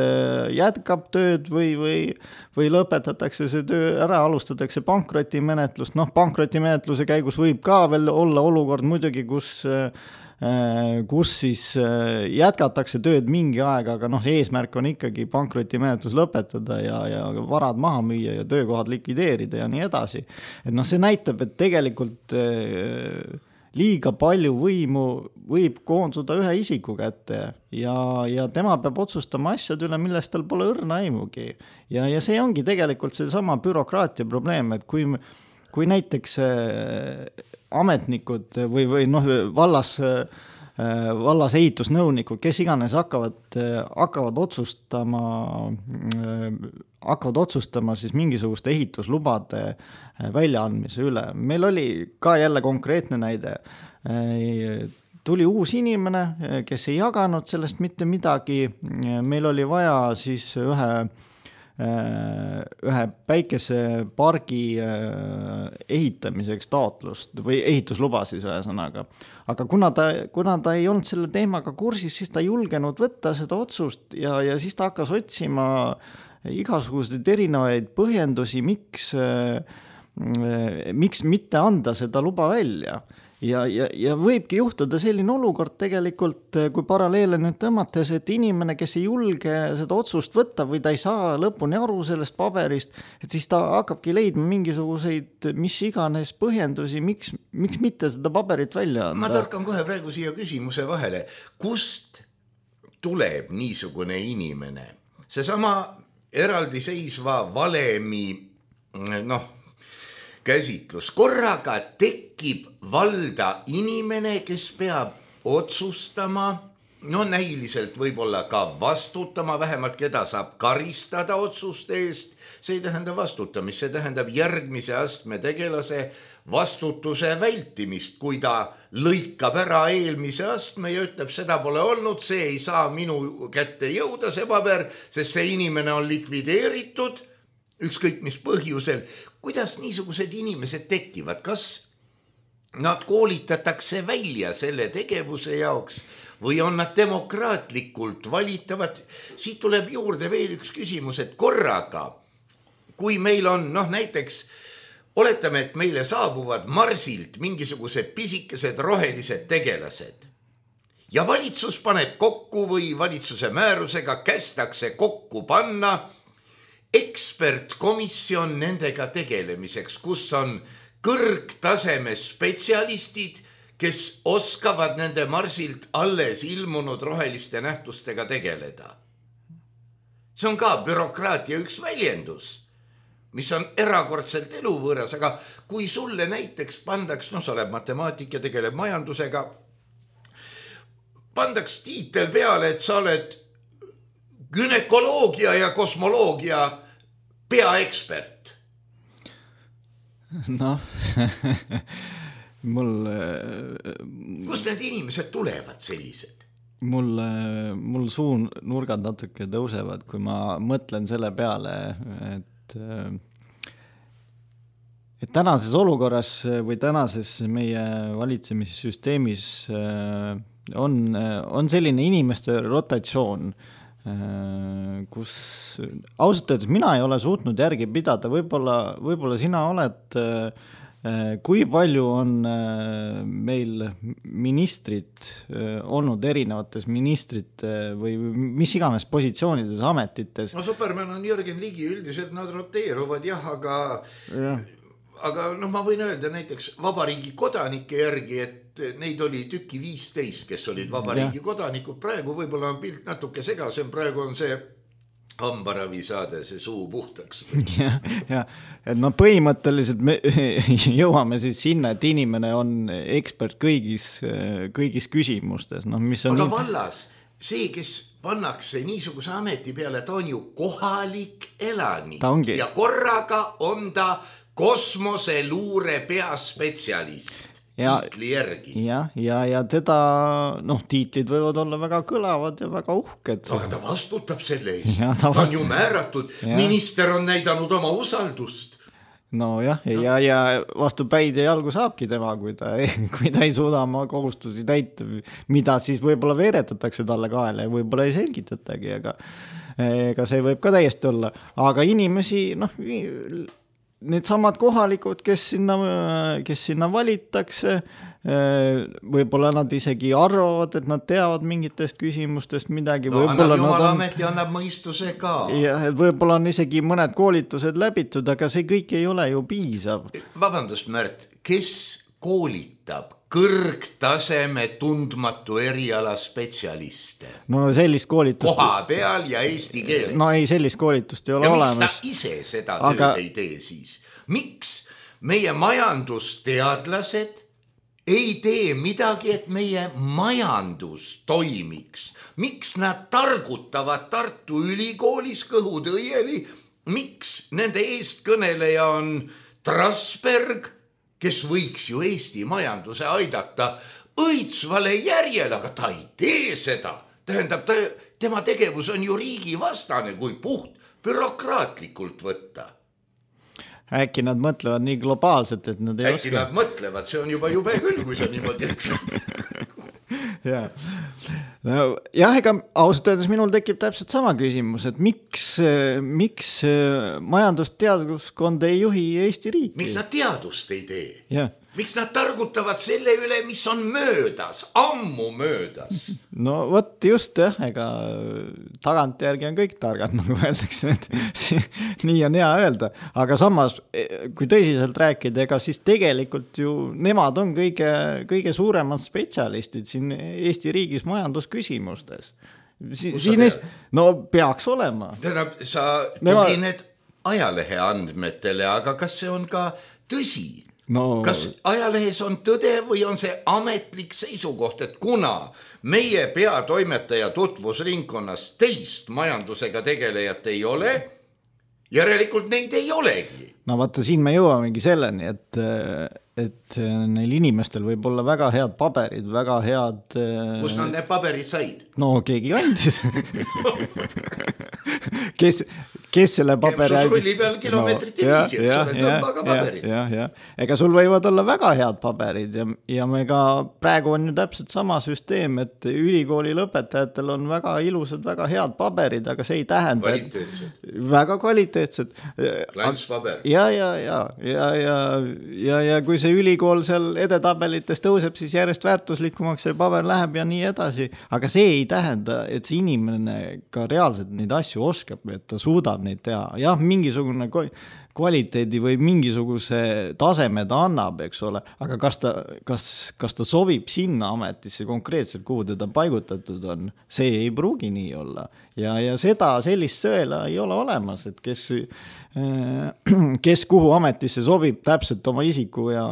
jätkab tööd või lõpetatakse see töö ära, alustatakse pankrotimenetlust. Pankrotimenetluse käigus võib ka veel olla olukord muidugi, kus siis jätkatakse tööd mingi aeg, aga eesmärk on ikkagi pankrotimenetlus lõpetada ja varad maha müüa ja töökohad likvideerida ja nii edasi. Et see näitab, et tegelikult liiga palju võimu võib koonduda ühe isiku kätte ja tema peab otsustama asjad üle, millest tal pole õrna aimugi. Ja see ongi tegelikult see sama bürokraatia probleem, et kui näiteks ametnikud või vallas ehitusnõunikud, kes iganes hakkavad otsustama siis mingisuguste ehituslubade väljaandmise üle. Meil oli ka jälle konkreetne näide. Tuli uus inimene, kes ei jaganud sellest mitte midagi. Meil oli vaja siis ühe päikesepargi ehitamiseks taotlust või ehitusluba siis ühesõnaga. Aga kuna ta ei olnud selle teemaga kursis, siis ta ei julgenud võtta seda otsust ja siis ta hakkas otsima igasuguseid erinevaid põhjendusi, miks mitte anda seda luba välja. Ja võibki juhtuda selline olukord tegelikult, kui paralleele nüüd tõmmates, et inimene, kes ei julge seda otsust võtta või ta ei saa lõpuni aru sellest paberist, et siis ta hakkabki leidma mingisuguseid mis iganes põhjendusi, miks mitte seda paberit välja anda. Ma torkan kohe praegu siia küsimuse vahele. Kust tuleb niisugune inimene? Seesama eraldiseisva valemi käsitlus. Korraga tekib valda inimene, kes peab otsustama, näiliselt võib-olla ka vastutama, vähemalt keda saab karistada otsuste eest. See ei tähenda vastutamist, see tähendab järgmise astme tegelase vastutuse vältimist, kui ta lõikab ära eelmise astme ja ütleb, seda pole olnud, see ei saa minu kätte jõuda, see paber, sest see inimene on likvideeritud, ükskõik mis põhjusel. Kuidas niisugused inimesed tekivad? Kas nad koolitatakse välja selle tegevuse jaoks või on nad demokraatlikult valitavad? Siit tuleb juurde veel üks küsimus, et korraga, kui meil on näiteks, oletame, et meile saabuvad Marsilt mingisugused pisikesed rohelised tegelased ja valitsus paneb kokku või valitsuse määrusega kästakse kokku panna ekspertkomisjon nendega tegelemiseks, kus on kõrgtaseme spetsialistid, kes oskavad nende Marsilt alles ilmunud roheliste nähtustega tegeleda. See on ka bürokraatia üks väljendus, mis on erakordselt eluvõõras, aga kui sulle näiteks pandaks, sa oled matemaatik ja tegeleb majandusega, pandaks tiitel peale, et sa oled günekoloogia ja kosmoloogia peaekspert. Kust need inimesed tulevad sellised? Mul suu nurgad natuke tõusevad, kui ma mõtlen selle peale, et tänases olukorras või tänases meie valitsemissüsteemis on selline inimeste rotatsioon, kus ausalt öeldes mina ei ole suutnud järgi pidada, võib-olla sina oled, kui palju on meil ministrid olnud erinevates ministrite või mis iganes positsioonides, ametites? Superman on Jürgen Ligi, üldiselt nad roteeruvad aga ma võin öelda näiteks vabariigi kodanike järgi, et neid oli tüki 15, kes olid vabariigi kodanikud. Praegu võib-olla on pilt natuke segasem, praegu on see hambaravisaade, see suu puhtaks. Et põhimõtteliselt me jõuame siis sinna, et inimene on ekspert kõigis küsimustes. Aga vallas, see, kes pannakse niisuguse ameti peale, ta on ju kohalik elanik ja korraga on ta kosmoseluure peaspetsialist tiitli järgi. Ja teda, tiitlid võivad olla väga kõlavad ja väga uhked. Aga ta vastutab selle eest. Ta on ju määratud. Minister on näidanud oma usaldust. Ja vastu päid ja jalgu saabki tema, kui ta ei suuda oma kohustusi täita, mida siis võib-olla veeretatakse talle kaela ja võib-olla ei selgitatagi, aga see võib ka täiesti olla. Aga inimesi, need samad kohalikud, kes sinna valittakse, võib-olla nad isegi arvavad, et nad teavad mingitest küsimustest midagi. Annab Jumalaameti, annab mõistuse ka. Ja võib-olla on isegi mõned koolitused läbitud, aga see kõik ei ole ju piisav. Vabandust, Märt, kes koolitab kõrgtaseme tundmatu eriala spetsialiste. No sellist koolitust... Koha peal ja eesti keeles. No ei, sellist koolitust ei ole olemas. Ja miks ta ise seda tööd ei tee siis? Miks meie majandusteadlased ei tee midagi, et meie majandus toimiks? Miks nad targutavad Tartu Ülikoolis kõhutõieli? Miks nende eestkõneleja on Trasberg, kes võiks ju Eesti majanduse aidata õitsvale järjele, aga ta ei tee seda. Tähendab, tema tegevus on ju riigivastane, kui puht bürokraatlikult võtta. Äkki nad mõtlevad nii globaalselt, et nad ei oska. Äkki nad mõtlevad, see on juba jube küll, kui sa niimoodi eksad. Jah, ega ausalt öeldes minul tekib täpselt sama küsimus, et miks majandusteaduskond ei juhi Eesti riiki? Miks nad teadust ei tee? Jah. Miks nad targutavad selle üle, mis on möödas, ammu möödas? No võt just jah, ega tagantjärgi on kõik targad, nagu öeldakse, et nii on hea öelda. Aga samas, kui tõsiselt rääkida, ega siis tegelikult ju nemad on kõige suuremad spetsialistid siin Eesti riigis majandusküsimustes. No peaks olema. Tähendab, sa tugined ajalehe andmetele, aga kas see on ka tõsi? No. Kas ajalehes on tõde või on see ametlik seisukoht, et kuna meie peatoimetaja tutvusringkonnas teist majandusega tegelejat ei ole, järelikult neid ei olegi? No vaata, siin me jõuamegi selleni, et neil inimestel võib olla väga head paberid, väga head... Kus nad need paberid said? No keegi andis. Kes selle paberi andis? Sulli peal kilomeetriti viisi, et sulle tõmba ka paberid. Ja. Ega sul võivad olla väga head paberid ja me ka praegu on ju täpselt sama süsteem, et ülikooli lõpetajatel on väga ilusad, väga head paberid, aga see ei tähenda... Kvaliteetsed. Väga kvaliteetsed. Klantspaber. Ja kui see ülikool seal edetabelites tõuseb, siis järjest väärtuslikumaks see paber läheb ja nii edasi. Aga see ei tähenda, et see inimene ka reaalselt neid asju oskab, et ta suudab neid teha. Jah, mingisugune kvaliteedi või mingisuguse taseme ta annab, eks ole, aga kas ta sobib sinna ametisse konkreetselt, kuhu teda paigutatud on, see ei pruugi nii olla. Ja sellist sõela ei ole olemas, et kes kuhu ametisse sobib täpselt oma isiku ja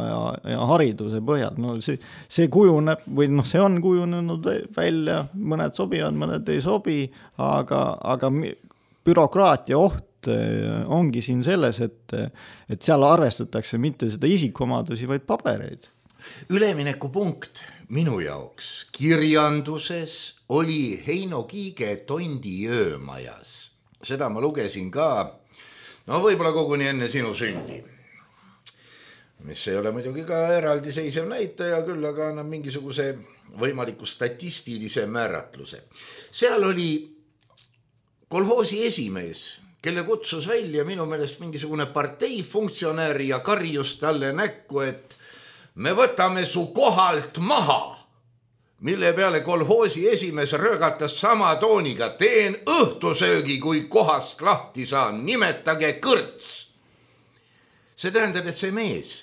hariduse põhjal. No see kujuneb, või see on kujunenud välja, mõned sobivad, mõned ei sobi, aga bürokraatia oht ongi siin selles, et seal arvestatakse mitte seda isikuomadusi, vaid pabereid. Üleminekupunkt minu jaoks kirjanduses oli Heino Kiige Tondi öömajas. Seda ma lugesin ka, võib-olla koguni enne sinu sündi. Mis ei ole muidugi ka eraldiseisev näitaja, küll aga annab mingisuguse võimaliku statistilise määratluse. Seal oli kolhoosi esimees, kelle kutsus välja minu meelest mingisugune parteifunktsionäär ja karjus talle näkku, et me võtame su kohalt maha, mille peale kolhoosi esimees röögatas sama tooniga, teen õhtusöögi, kui kohast lahti saan, nimetage kõrts. See tähendab, et see mees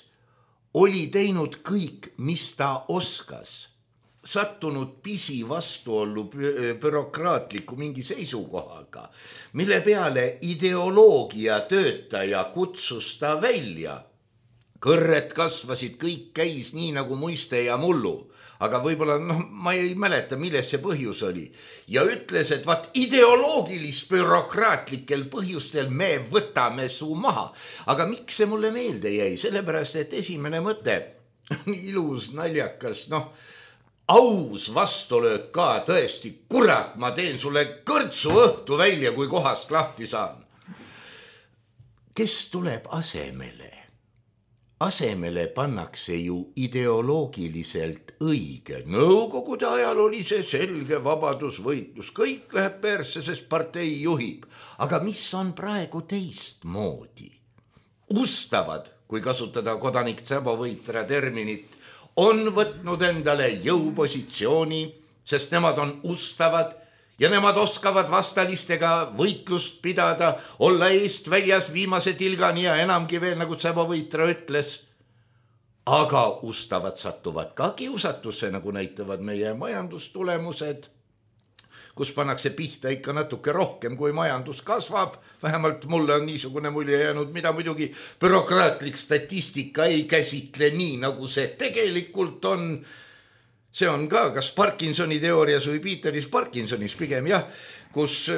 oli teinud kõik, mis ta oskas, sattunud pisi vastuollu bürokraatliku mingi seisukohaga, mille peale ideoloogia töötaja kutsus ta välja. Kõrred kasvasid, kõik käis nii nagu muiste ja mullu, aga võib-olla, ma ei mäleta, milles see põhjus oli. Ja ütles, et ideoloogilis bürokraatlikel põhjustel me võtame su maha. Aga miks see mulle meelde jäi? Sellepärast, et esimene mõte, ilus, naljakas, aus vastulöök ka, tõesti, kurat, ma teen sulle kõrtsu õhtu välja, kui kohast lahti saan. Kes tuleb asemele? Asemele pannakse ju ideoloogiliselt õige. Nõukogude ajal oli see selge vabadusvõitlus. Kõik läheb persse, sest partei juhib. Aga mis on praegu teistmoodi? Ustavad, kui kasutada kodanik Tsabo-Võitra terminit, on võtnud endale jõupositsiooni, sest nemad on ustavad ja nemad oskavad vastalistega võitlust pidada, olla eest väljas viimase tilgani ja enamgi veel, nagu Tsabo-Võitra ütles. aga ustavad satuvad ka kiusatusse, nagu näitavad meie majandustulemused, kus pannakse pihta ikka natuke rohkem, kui majandus kasvab. Vähemalt mulle on niisugune mulje jäänud, mida muidugi bürokraatlik statistika ei käsitle nii, nagu see tegelikult on. See on ka kas Parkinsoni teoorias või Peteris Parkinsonis pigem jah, kus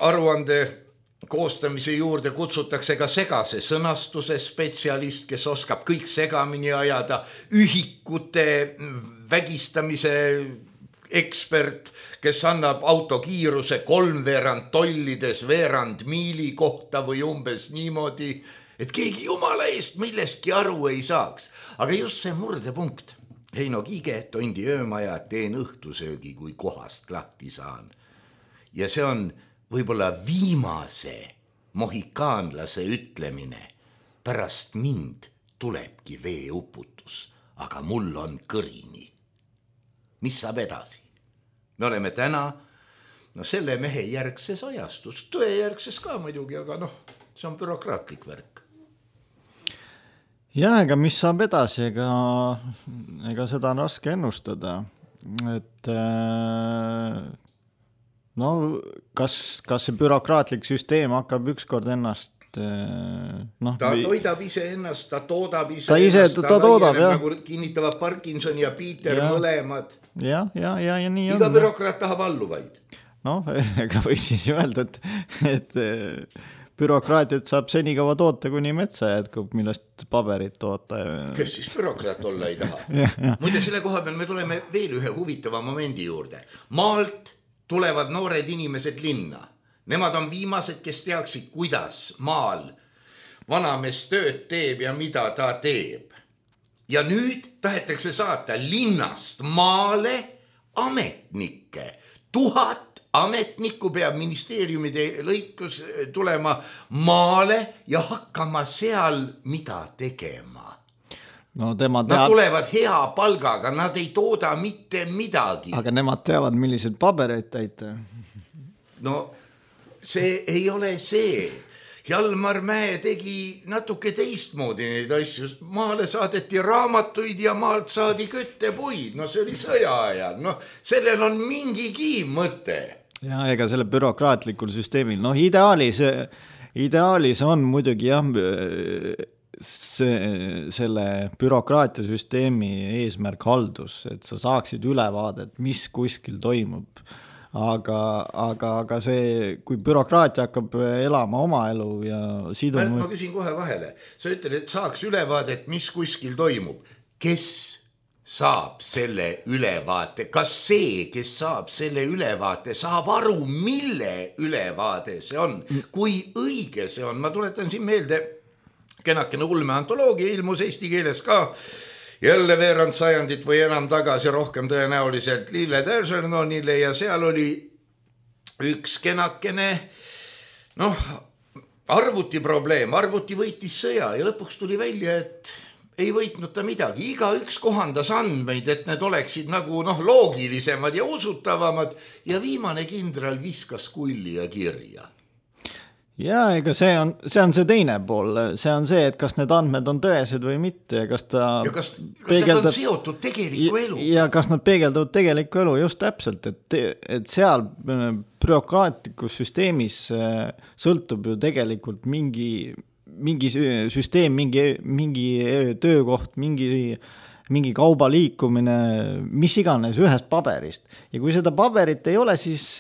aruande koostamise juurde kutsutakse ka segase sõnastuse spetsialist, kes oskab kõik segamini ajada, ühikute vägistamise ekspert, kes annab autokiiruse 3/4 tollides veerand miili kohta või umbes niimoodi, et keegi jumala eest millestki aru ei saaks. Aga just see murdepunkt. Heino Kiige, Tondi öömaja, teen õhtusöögi, kui kohast lahti saan. Ja see on võib-olla viimase mohikaanlase ütlemine. Pärast mind tulebki veeuputus, aga mul on kõrini. Mis saab edasi? Me oleme täna selle mehe järgses ajastus, tõe järgses ka muidugi, aga see on bürokraatlik värk. Ja ega mis saab edasi, ega seda on raske ennustada, et kas see bürokraatlik süsteem hakkab ükskord ennast ta toidab ise ennast, ta toodab ise ennast, ta toodab, jah. Nagu kinnitavad Parkinson ja Peter mõlemad. Ja nii on. Iga bürokraat tahab alluvaid. Ega võib siis öelda, et bürokraatiat saab senikaua toota, kuni metsa jätkub, millest paberit toota. Kes siis bürokraat olla ei taha? Muide, selle koha peal me tuleme veel ühe huvitava momendi juurde. Maalt tulevad noored inimesed linna. Nemad on viimased, kes teaksid, kuidas maal vanamees tööd teeb ja mida ta teeb. Ja nüüd tahetakse saata linnast maale ametnikke. 1000 ametnikku peab ministeeriumide lõikus tulema maale ja hakkama seal mida tegema. Nad tulevad hea palgaga, nad ei tooda mitte midagi. Aga nemad teavad, millised pabereid täita. See ei ole see. Jalmar Mäe tegi natuke teistmoodi neid asju. Maale saadeti raamatuid ja maalt saadi köttepuid. See oli sõja ajal. Sellel on mingigi mõte. Ja ega selle bürokraatlikul süsteemil. Ideaalis on muidugi jah, selle bürokraatiasüsteemi eesmärk haldus, et sa saaksid ülevaadet, mis kuskil toimub. Aga see, kui bürokraatia hakkab elama oma elu ja siduma... Ma küsin kohe vahele. Sa ütled, et saaks ülevaadet, mis kuskil toimub. Kes saab selle ülevaate? Kas see, kes saab selle ülevaate, saab aru, mille ülevaade see on? Kui õige see on? Ma tuletan siin meelde, kenakene ulmeantoloogia ilmus eesti keeles ka jälle veerand sajandit või enam tagasi, rohkem tõenäoliselt Lille Tärsernonile ja seal oli üks kenakene arvuti probleem, arvuti võitis sõja ja lõpuks tuli välja, et ei võitnud ta midagi. Igaüks kohandas andmeid, et need oleksid nagu loogilisemad ja usutavamad ja viimane kindral viskas kulli ja kirja. Ja ega see on see teine pool, see on see, et kas need andmed on tõesed või mitte, kas kas need on seotud tegeliku elu. Ja kas nad peegeldavad tegeliku elu, just täpselt, et seal bürokraatlikus süsteemis sõltub ju tegelikult mingi süsteem, mingi töökoht, mingi kauba liikumine, mis iganes ühest paberist. Ja kui seda paberit ei ole, siis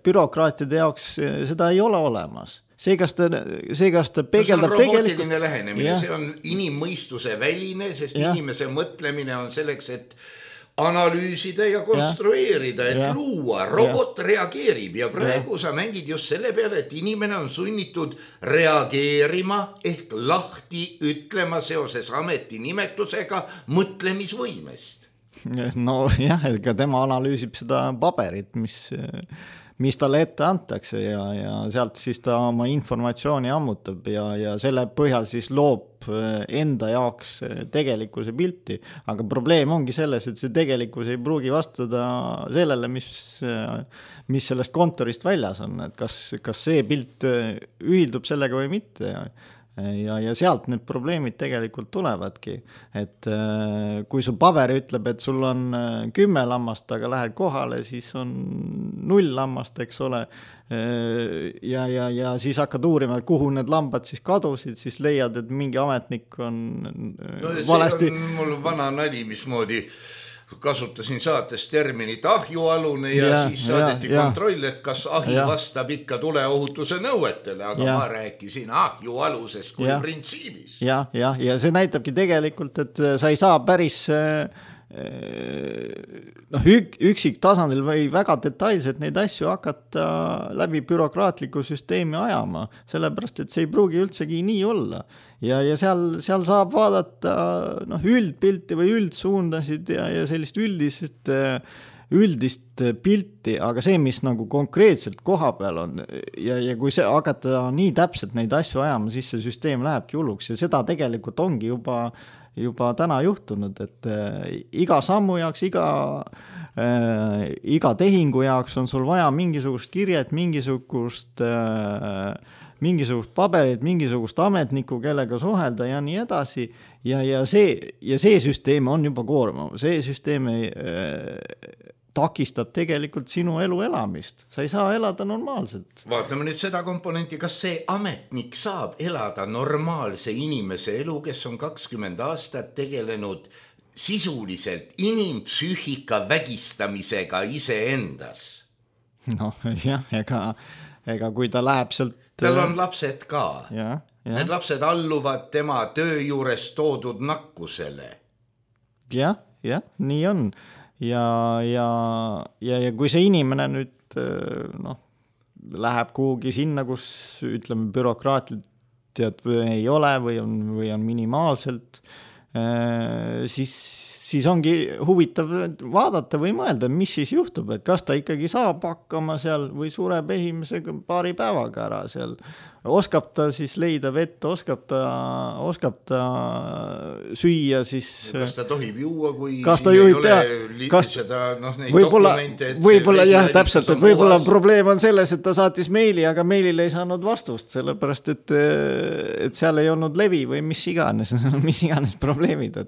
bürokraatide jaoks seda ei ole olemas. See, kas ta peegeldab tegelikult... See on robootiline lähenemine, see on inimmõistuse väline, sest inimese mõtlemine on selleks, et analüüsida ja konstrueerida, et luua. Robot reageerib ja praegu sa mängid just selle peale, et inimene on sunnitud reageerima ehk lahti ütlema seoses ametinimetusega mõtlemisvõimest. Ega tema analüüsib seda paberit, mis talle ette antakse ja sealt siis ta oma informatsiooni ammutab ja selle põhjal siis loob enda jaoks tegelikkuse pilti. Aga probleem ongi selles, et see tegelikkus ei pruugi vastuda sellele, mis sellest kontorist väljas on. Et kas see pilt ühildub sellega või mitte. ja sealt need probleemid tegelikult tulevadki, et kui su paber ütleb, et sul on 10 lammast, aga lähed kohale, siis on 0 lammast, eks ole, ja siis hakkad uurima, kuhu need lambad siis kadusid, siis leiad, et mingi ametnik on valesti. See on mul vana nali, mismoodi kasutasin saates terminit ahjualune ja siis saadeti kontroll, et kas ahi vastab ikka tuleohutuse nõuetele, aga ma rääkisin ahjualusest kui printsiibis. Ja see näitabki tegelikult, et sa ei saa päris üksiktasandil või väga detailselt neid asju hakata läbi bürokraatliku süsteemi ajama, sellepärast, et see ei pruugi üldsegi nii olla. Ja seal saab vaadata üldpilti või üldsuundasid ja sellist üldist pilti, aga see, mis nagu konkreetselt koha peal on ja kui see hakata nii täpselt neid asju ajama, siis see süsteem lähebki hulluks ja seda tegelikult ongi juba täna juhtunud, et iga sammu jaoks, iga tehingu jaoks on sul vaja mingisugust kirjet, mingisugust paberit, mingisugust ametnikku, kellega suhelda ja nii edasi ja see süsteem on juba koormav, see süsteem takistab tegelikult sinu elu elamist. Sa ei saa elada normaalselt. Vaatame nüüd seda komponenti, kas see ametnik saab elada normaalse inimese elu, kes on 20 aastat tegelenud sisuliselt inimpsüühika vägistamisega iseendas. Ega kui ta läheb sealt... Tal on lapsed ka. Need lapsed alluvad tema töö juures toodud nakkusele. Jah, nii on. Ja kui see inimene nüüd läheb kuhugi sinna, kus ütleme bürokraatiat ei ole või on minimaalselt, siis ongi huvitav vaadata või mõelda, mis siis juhtub, et kas ta ikkagi saab hakkama seal või sureb esimesega paari päevaga ära seal. Oskab ta siis leida vett, oskab ta süüa siis... Kas ta tohib juua, kui siin ei ole seda neid dokumente? Võib-olla jah, täpselt, et võib-olla probleem on selles, et ta saatis meili, aga meilile ei saanud vastust, sellepärast, et seal ei olnud levi või mis iganes probleemid.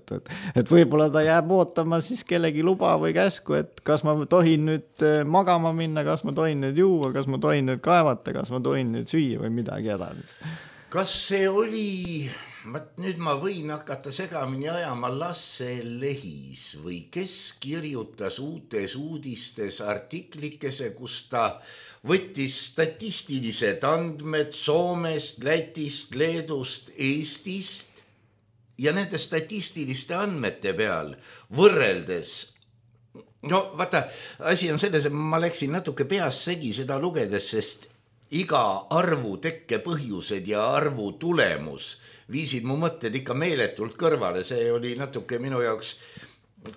Et võib-olla ta jääb ootama siis kellegi luba või käsku, et kas ma tohin nüüd magama minna, kas ma tohin nüüd juua, kas ma tohin nüüd kaevata, kas ma tohin nüüd süüa või midagi. Kas see oli, nüüd ma võin hakata segamini ajama Lasse Lehis või kes kirjutas uutes uudistes artiklikese, kus ta võttis statistilised andmed Soomest, Lätist, Leedust, Eestist ja nende statistiliste andmete peal võrreldes. Vaata, asi on selles, et ma läksin natuke peas segi seda lugedes, sest iga arvu tekke põhjused ja arvu tulemus viisid mu mõtted ikka meeletult kõrvale. See oli natuke minu jaoks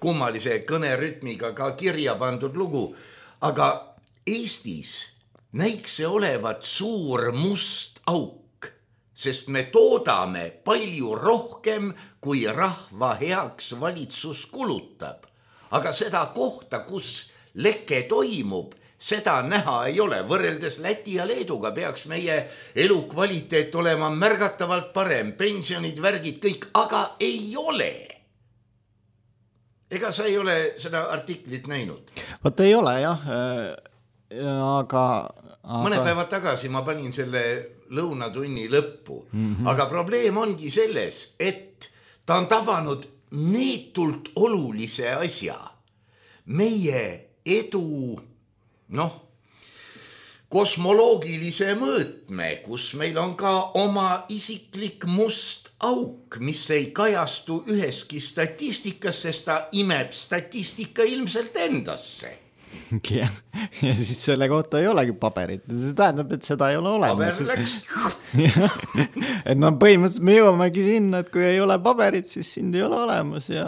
kummalise kõnerütmiga ka kirja pandud lugu. Aga Eestis näiks see olevat suur must auk, sest me toodame palju rohkem, kui rahva heaks valitsus kulutab. Aga seda kohta, kus leke toimub, seda näha ei ole. Võrreldes Läti ja Leeduga peaks meie elukvaliteet olema märgatavalt parem, pensionid, värgid, kõik, aga ei ole. Ega sa ei ole seda artiklit näinud? Vaat ei ole, jah. Aga... Mõne päeva tagasi ma panin selle lõunatunni lõppu. Aga probleem ongi selles, et ta on tabanud neetult olulise asja. Meie edu... kosmoloogilise mõõtme, kus meil on ka oma isiklik must auk, mis ei kajastu üheski statistikas, sest ta imeb statistika ilmselt endasse. Ja siis selle kohta ei olegi paberit. See tähendab, et seda ei ole olemas. Paber läks. Et põhimõtteliselt me jõuamegi sinna, et kui ei ole paberit, siis sind ei ole olemas ja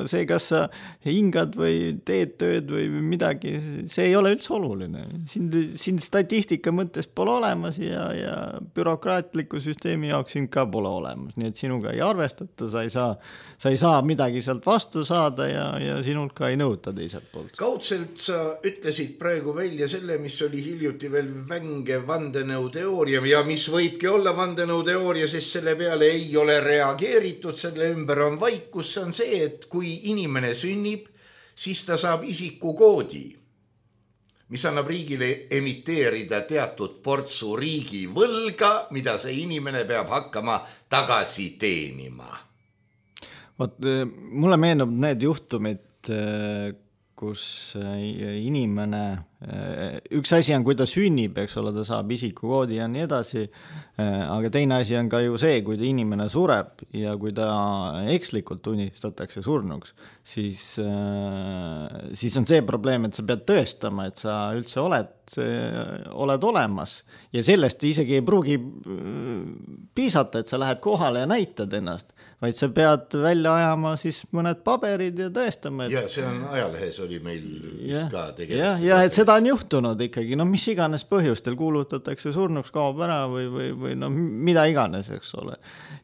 see, kas sa hingad või teed tööd või midagi, see ei ole üldse oluline. Sind statistika mõttes pole olemas ja bürokraatliku süsteemi jaoks sind ka pole olemas. Nii et sinuga ei arvestata, sa ei saa midagi sealt vastu saada ja sinult ka ei nõuta teiselt poolt. Kaudselt sa ütlesid praegu välja selle, mis oli hiljuti veel vänge vandenõuteooria vandenõuteooria ja mis võibki olla vandenõuteooria, sest selle peale ei ole reageeritud, selle ümber on vaikus, see on see, et kui inimene sünnib, siis ta saab isikukoodi, mis annab riigile emiteerida teatud portsu riigi võlga, mida see inimene peab hakkama tagasi teenima. Vot, mulle meenub need juhtumid, kus inimene, üks asi on, kui ta sünnib, eks ole, ta saab isikukoodi ja nii edasi, aga teine asi on ka ju see, kui ta inimene sureb ja kui ta ekslikult tunnistatakse surnuks, siis on see probleem, et sa pead tõestama, et sa üldse oled olemas ja sellest isegi ei pruugi piisata, et sa lähed kohale ja näitad ennast, vaid sa pead välja ajama siis mõned paberid ja tõestama. Ja see on ajalehes oli meil vist ka tegelikult. Ja et seda on juhtunud ikkagi, no mis iganes põhjustel kuulutatakse surnuks, kaob ära või no mida iganes, eks ole.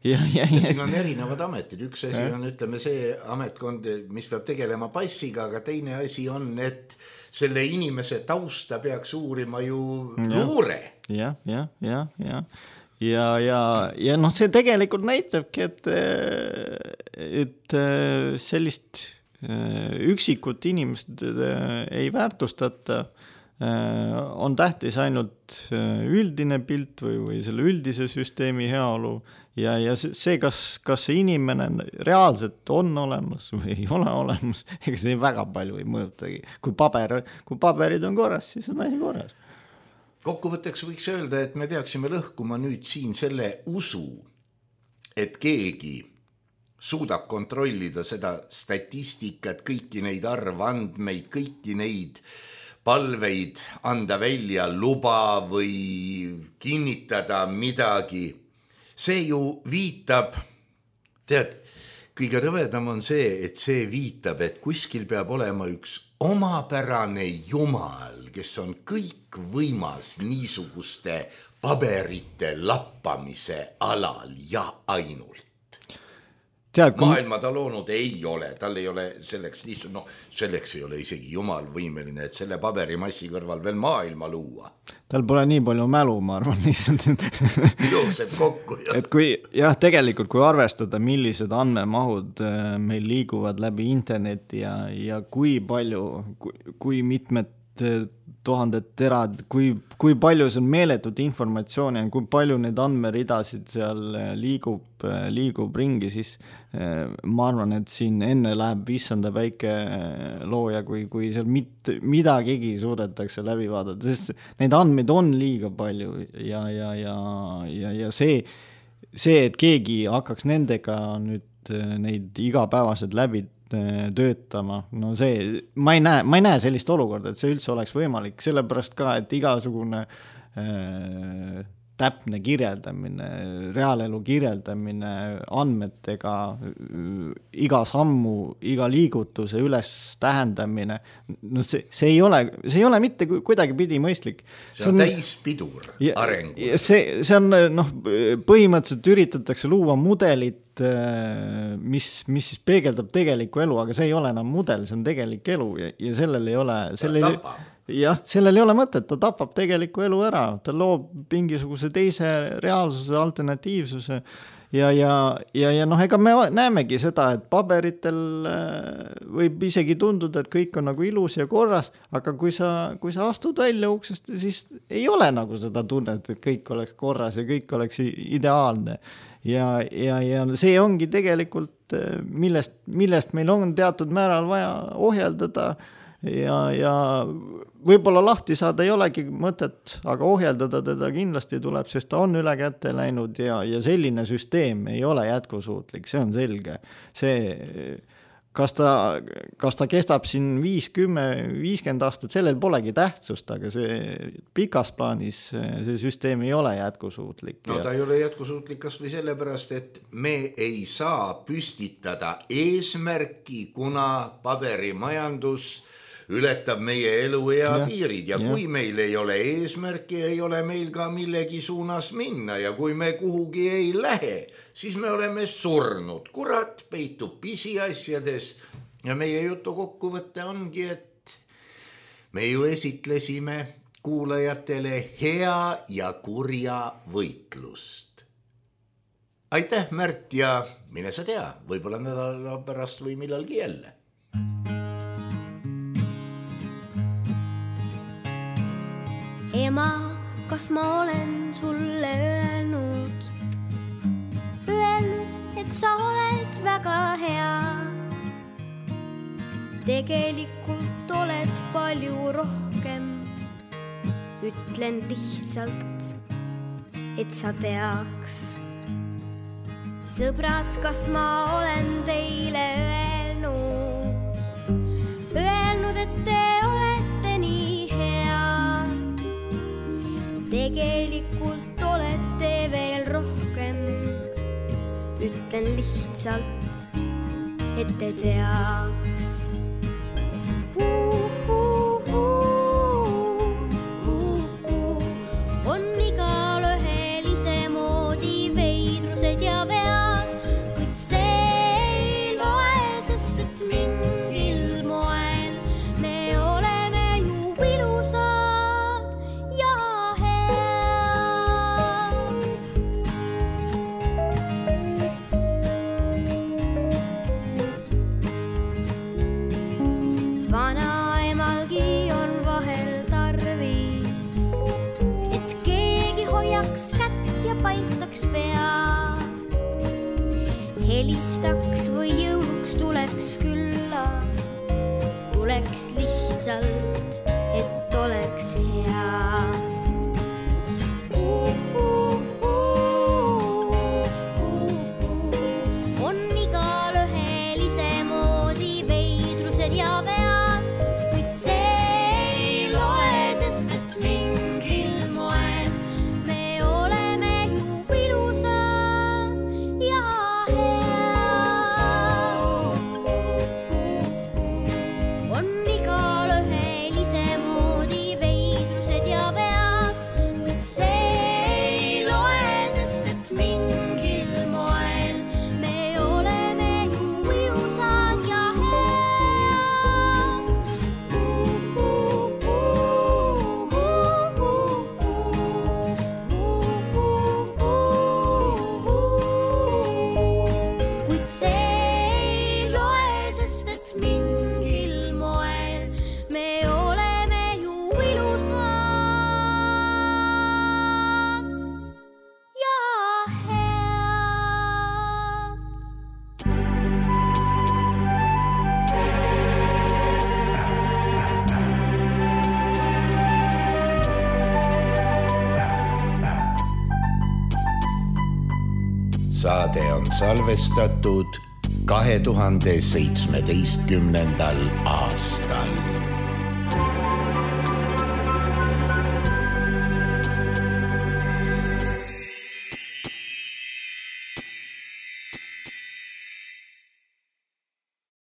Ja siin on erinevad ametid, üks asi on, ütleme, see ametkond, mis peab tegelema passiga, aga teine asi on, et selle inimese tausta peaks uurima ju luure. Ja noh, see tegelikult näitabki, et sellist üksikut inimest ei väärtustata, on tähtis ainult üldine pilt või selle üldise süsteemi heaolu ja see, kas see inimene reaalselt on olemas või ei ole olemas, ega see väga palju ei mõjutagi. Kui paberid on korras, siis on asi korras. Kokkuvõtteks võiks öelda, et me peaksime lõhkuma nüüd siin selle usu, et keegi suudab kontrollida seda statistikat, kõiki neid arvandmeid, kõiki neid palveid anda välja luba või kinnitada midagi. See ju viitab, tead, kõige rõvedam on see, et see viitab, et kuskil peab olema üks omapärane jumal, kes on kõik võimas niisuguste paberite lappamise alal ja ainult. Maailma ta loonud ei ole, tal ei ole selleks selleks ei ole isegi jumal võimeline, et selle paberimassi kõrval veel maailma luua. Tal pole nii palju mälu, ma arvan, lihtsalt. Jookseb kokku. Et tegelikult, kui arvestada, millised andmemahud meil liiguvad läbi interneti ja kui palju, kui mitmed tuhanded terad, kui palju see on meeletut informatsiooni, kui palju neid andmeridasid seal liigub ringi, siis ma arvan, et siin enne läheb issanda väike looja, kui seal midagigi suudetakse läbi vaadata, sest neid andmeid on liiga palju ja see, et keegi hakkaks nendega nüüd neid igapäevaselt läbi töötama, no see, ma ei näe sellist olukorda, et see üldse oleks võimalik, sellepärast ka, et igasugune täpne kirjeldamine, reaalelu kirjeldamine andmetega, iga sammu, iga liigutuse üles tähendamine, no see ei ole mitte kuidagi pidi mõistlik. See on täispidur arengu. See on, põhimõtteliselt üritatakse luua mudelit, mis peegeldab tegelikku elu, aga see ei ole enam mudel, see on tegelik elu ja sellel ei ole... sellel ei ole mõtet, ta tapab tegeliku elu ära, ta loob mingisuguse teise reaalsuse, alternatiivsuse ja noh, ega me näemegi seda, et paberitel võib isegi tunduda, et kõik on nagu ilus ja korras, aga kui sa astud välja uksest, siis ei ole nagu seda tunnet, et kõik oleks korras ja kõik oleks ideaalne. Ja see ongi tegelikult, millest meil on teatud määral vaja ohjeldada ja võib-olla lahti saada ei olegi mõtet, aga ohjeldada teda kindlasti tuleb, sest ta on üle kätte läinud ja selline süsteem ei ole jätkusuutlik, see on selge. Kas ta kestab siin 50 aastat, sellel polegi tähtsust, aga see pikas plaanis see süsteem ei ole jätkusuutlik. No ta ei ole jätkusuutlik kas või sellepärast, et me ei saa püstitada eesmärki, kuna paberimajandus ületab meie eluea piirid ja kui meil ei ole eesmärki, ei ole meil ka millegi suunas minna ja kui me kuhugi ei lähe, siis me oleme surnud. Kurat peitub pisiasjades ja meie jutu kokkuvõtte ongi, et me ju esitlesime kuulajatele hea ja kurja võitlust. Aitäh, Märt, ja mine sa tea, võib-olla nädala pärast või millalgi jälle. Ema, kas ma olen sulle öelnud, et sa oled väga hea. Tegelikult oled palju rohkem, ütlen lihtsalt, et sa teaks. Sõbrad, kas ma olen teile öelnud, et te olete nii head. Tegelikult olete veel rohkem, ütlen lihtsalt, et te teaks. On igal ühel isemoodi veidrused ja vead, kuid see ei loe, sest et mingil moel me oleme ju ilusad ja head. Vanaemalgi on vahel tarvis, et keegi hoiaks kätt ja paitaks pead. Helistaks või jõuluks tuleks külla, tuleks lihtsalt, et oleks hea. On igal ühel isemoodi veidrused ja vead, kuid see ei loe, sest et mingil moel me oleme ju ilusad ja head. On igal ühel isemoodi veidrused ja vead, kuid see ei loe, sest et mingil moel me oleme ju ilusad ja head. Kuid see ei loe, sest et mingil moel me oleme ju ilusad ja head. Saade on salvestatud 2017. aastal.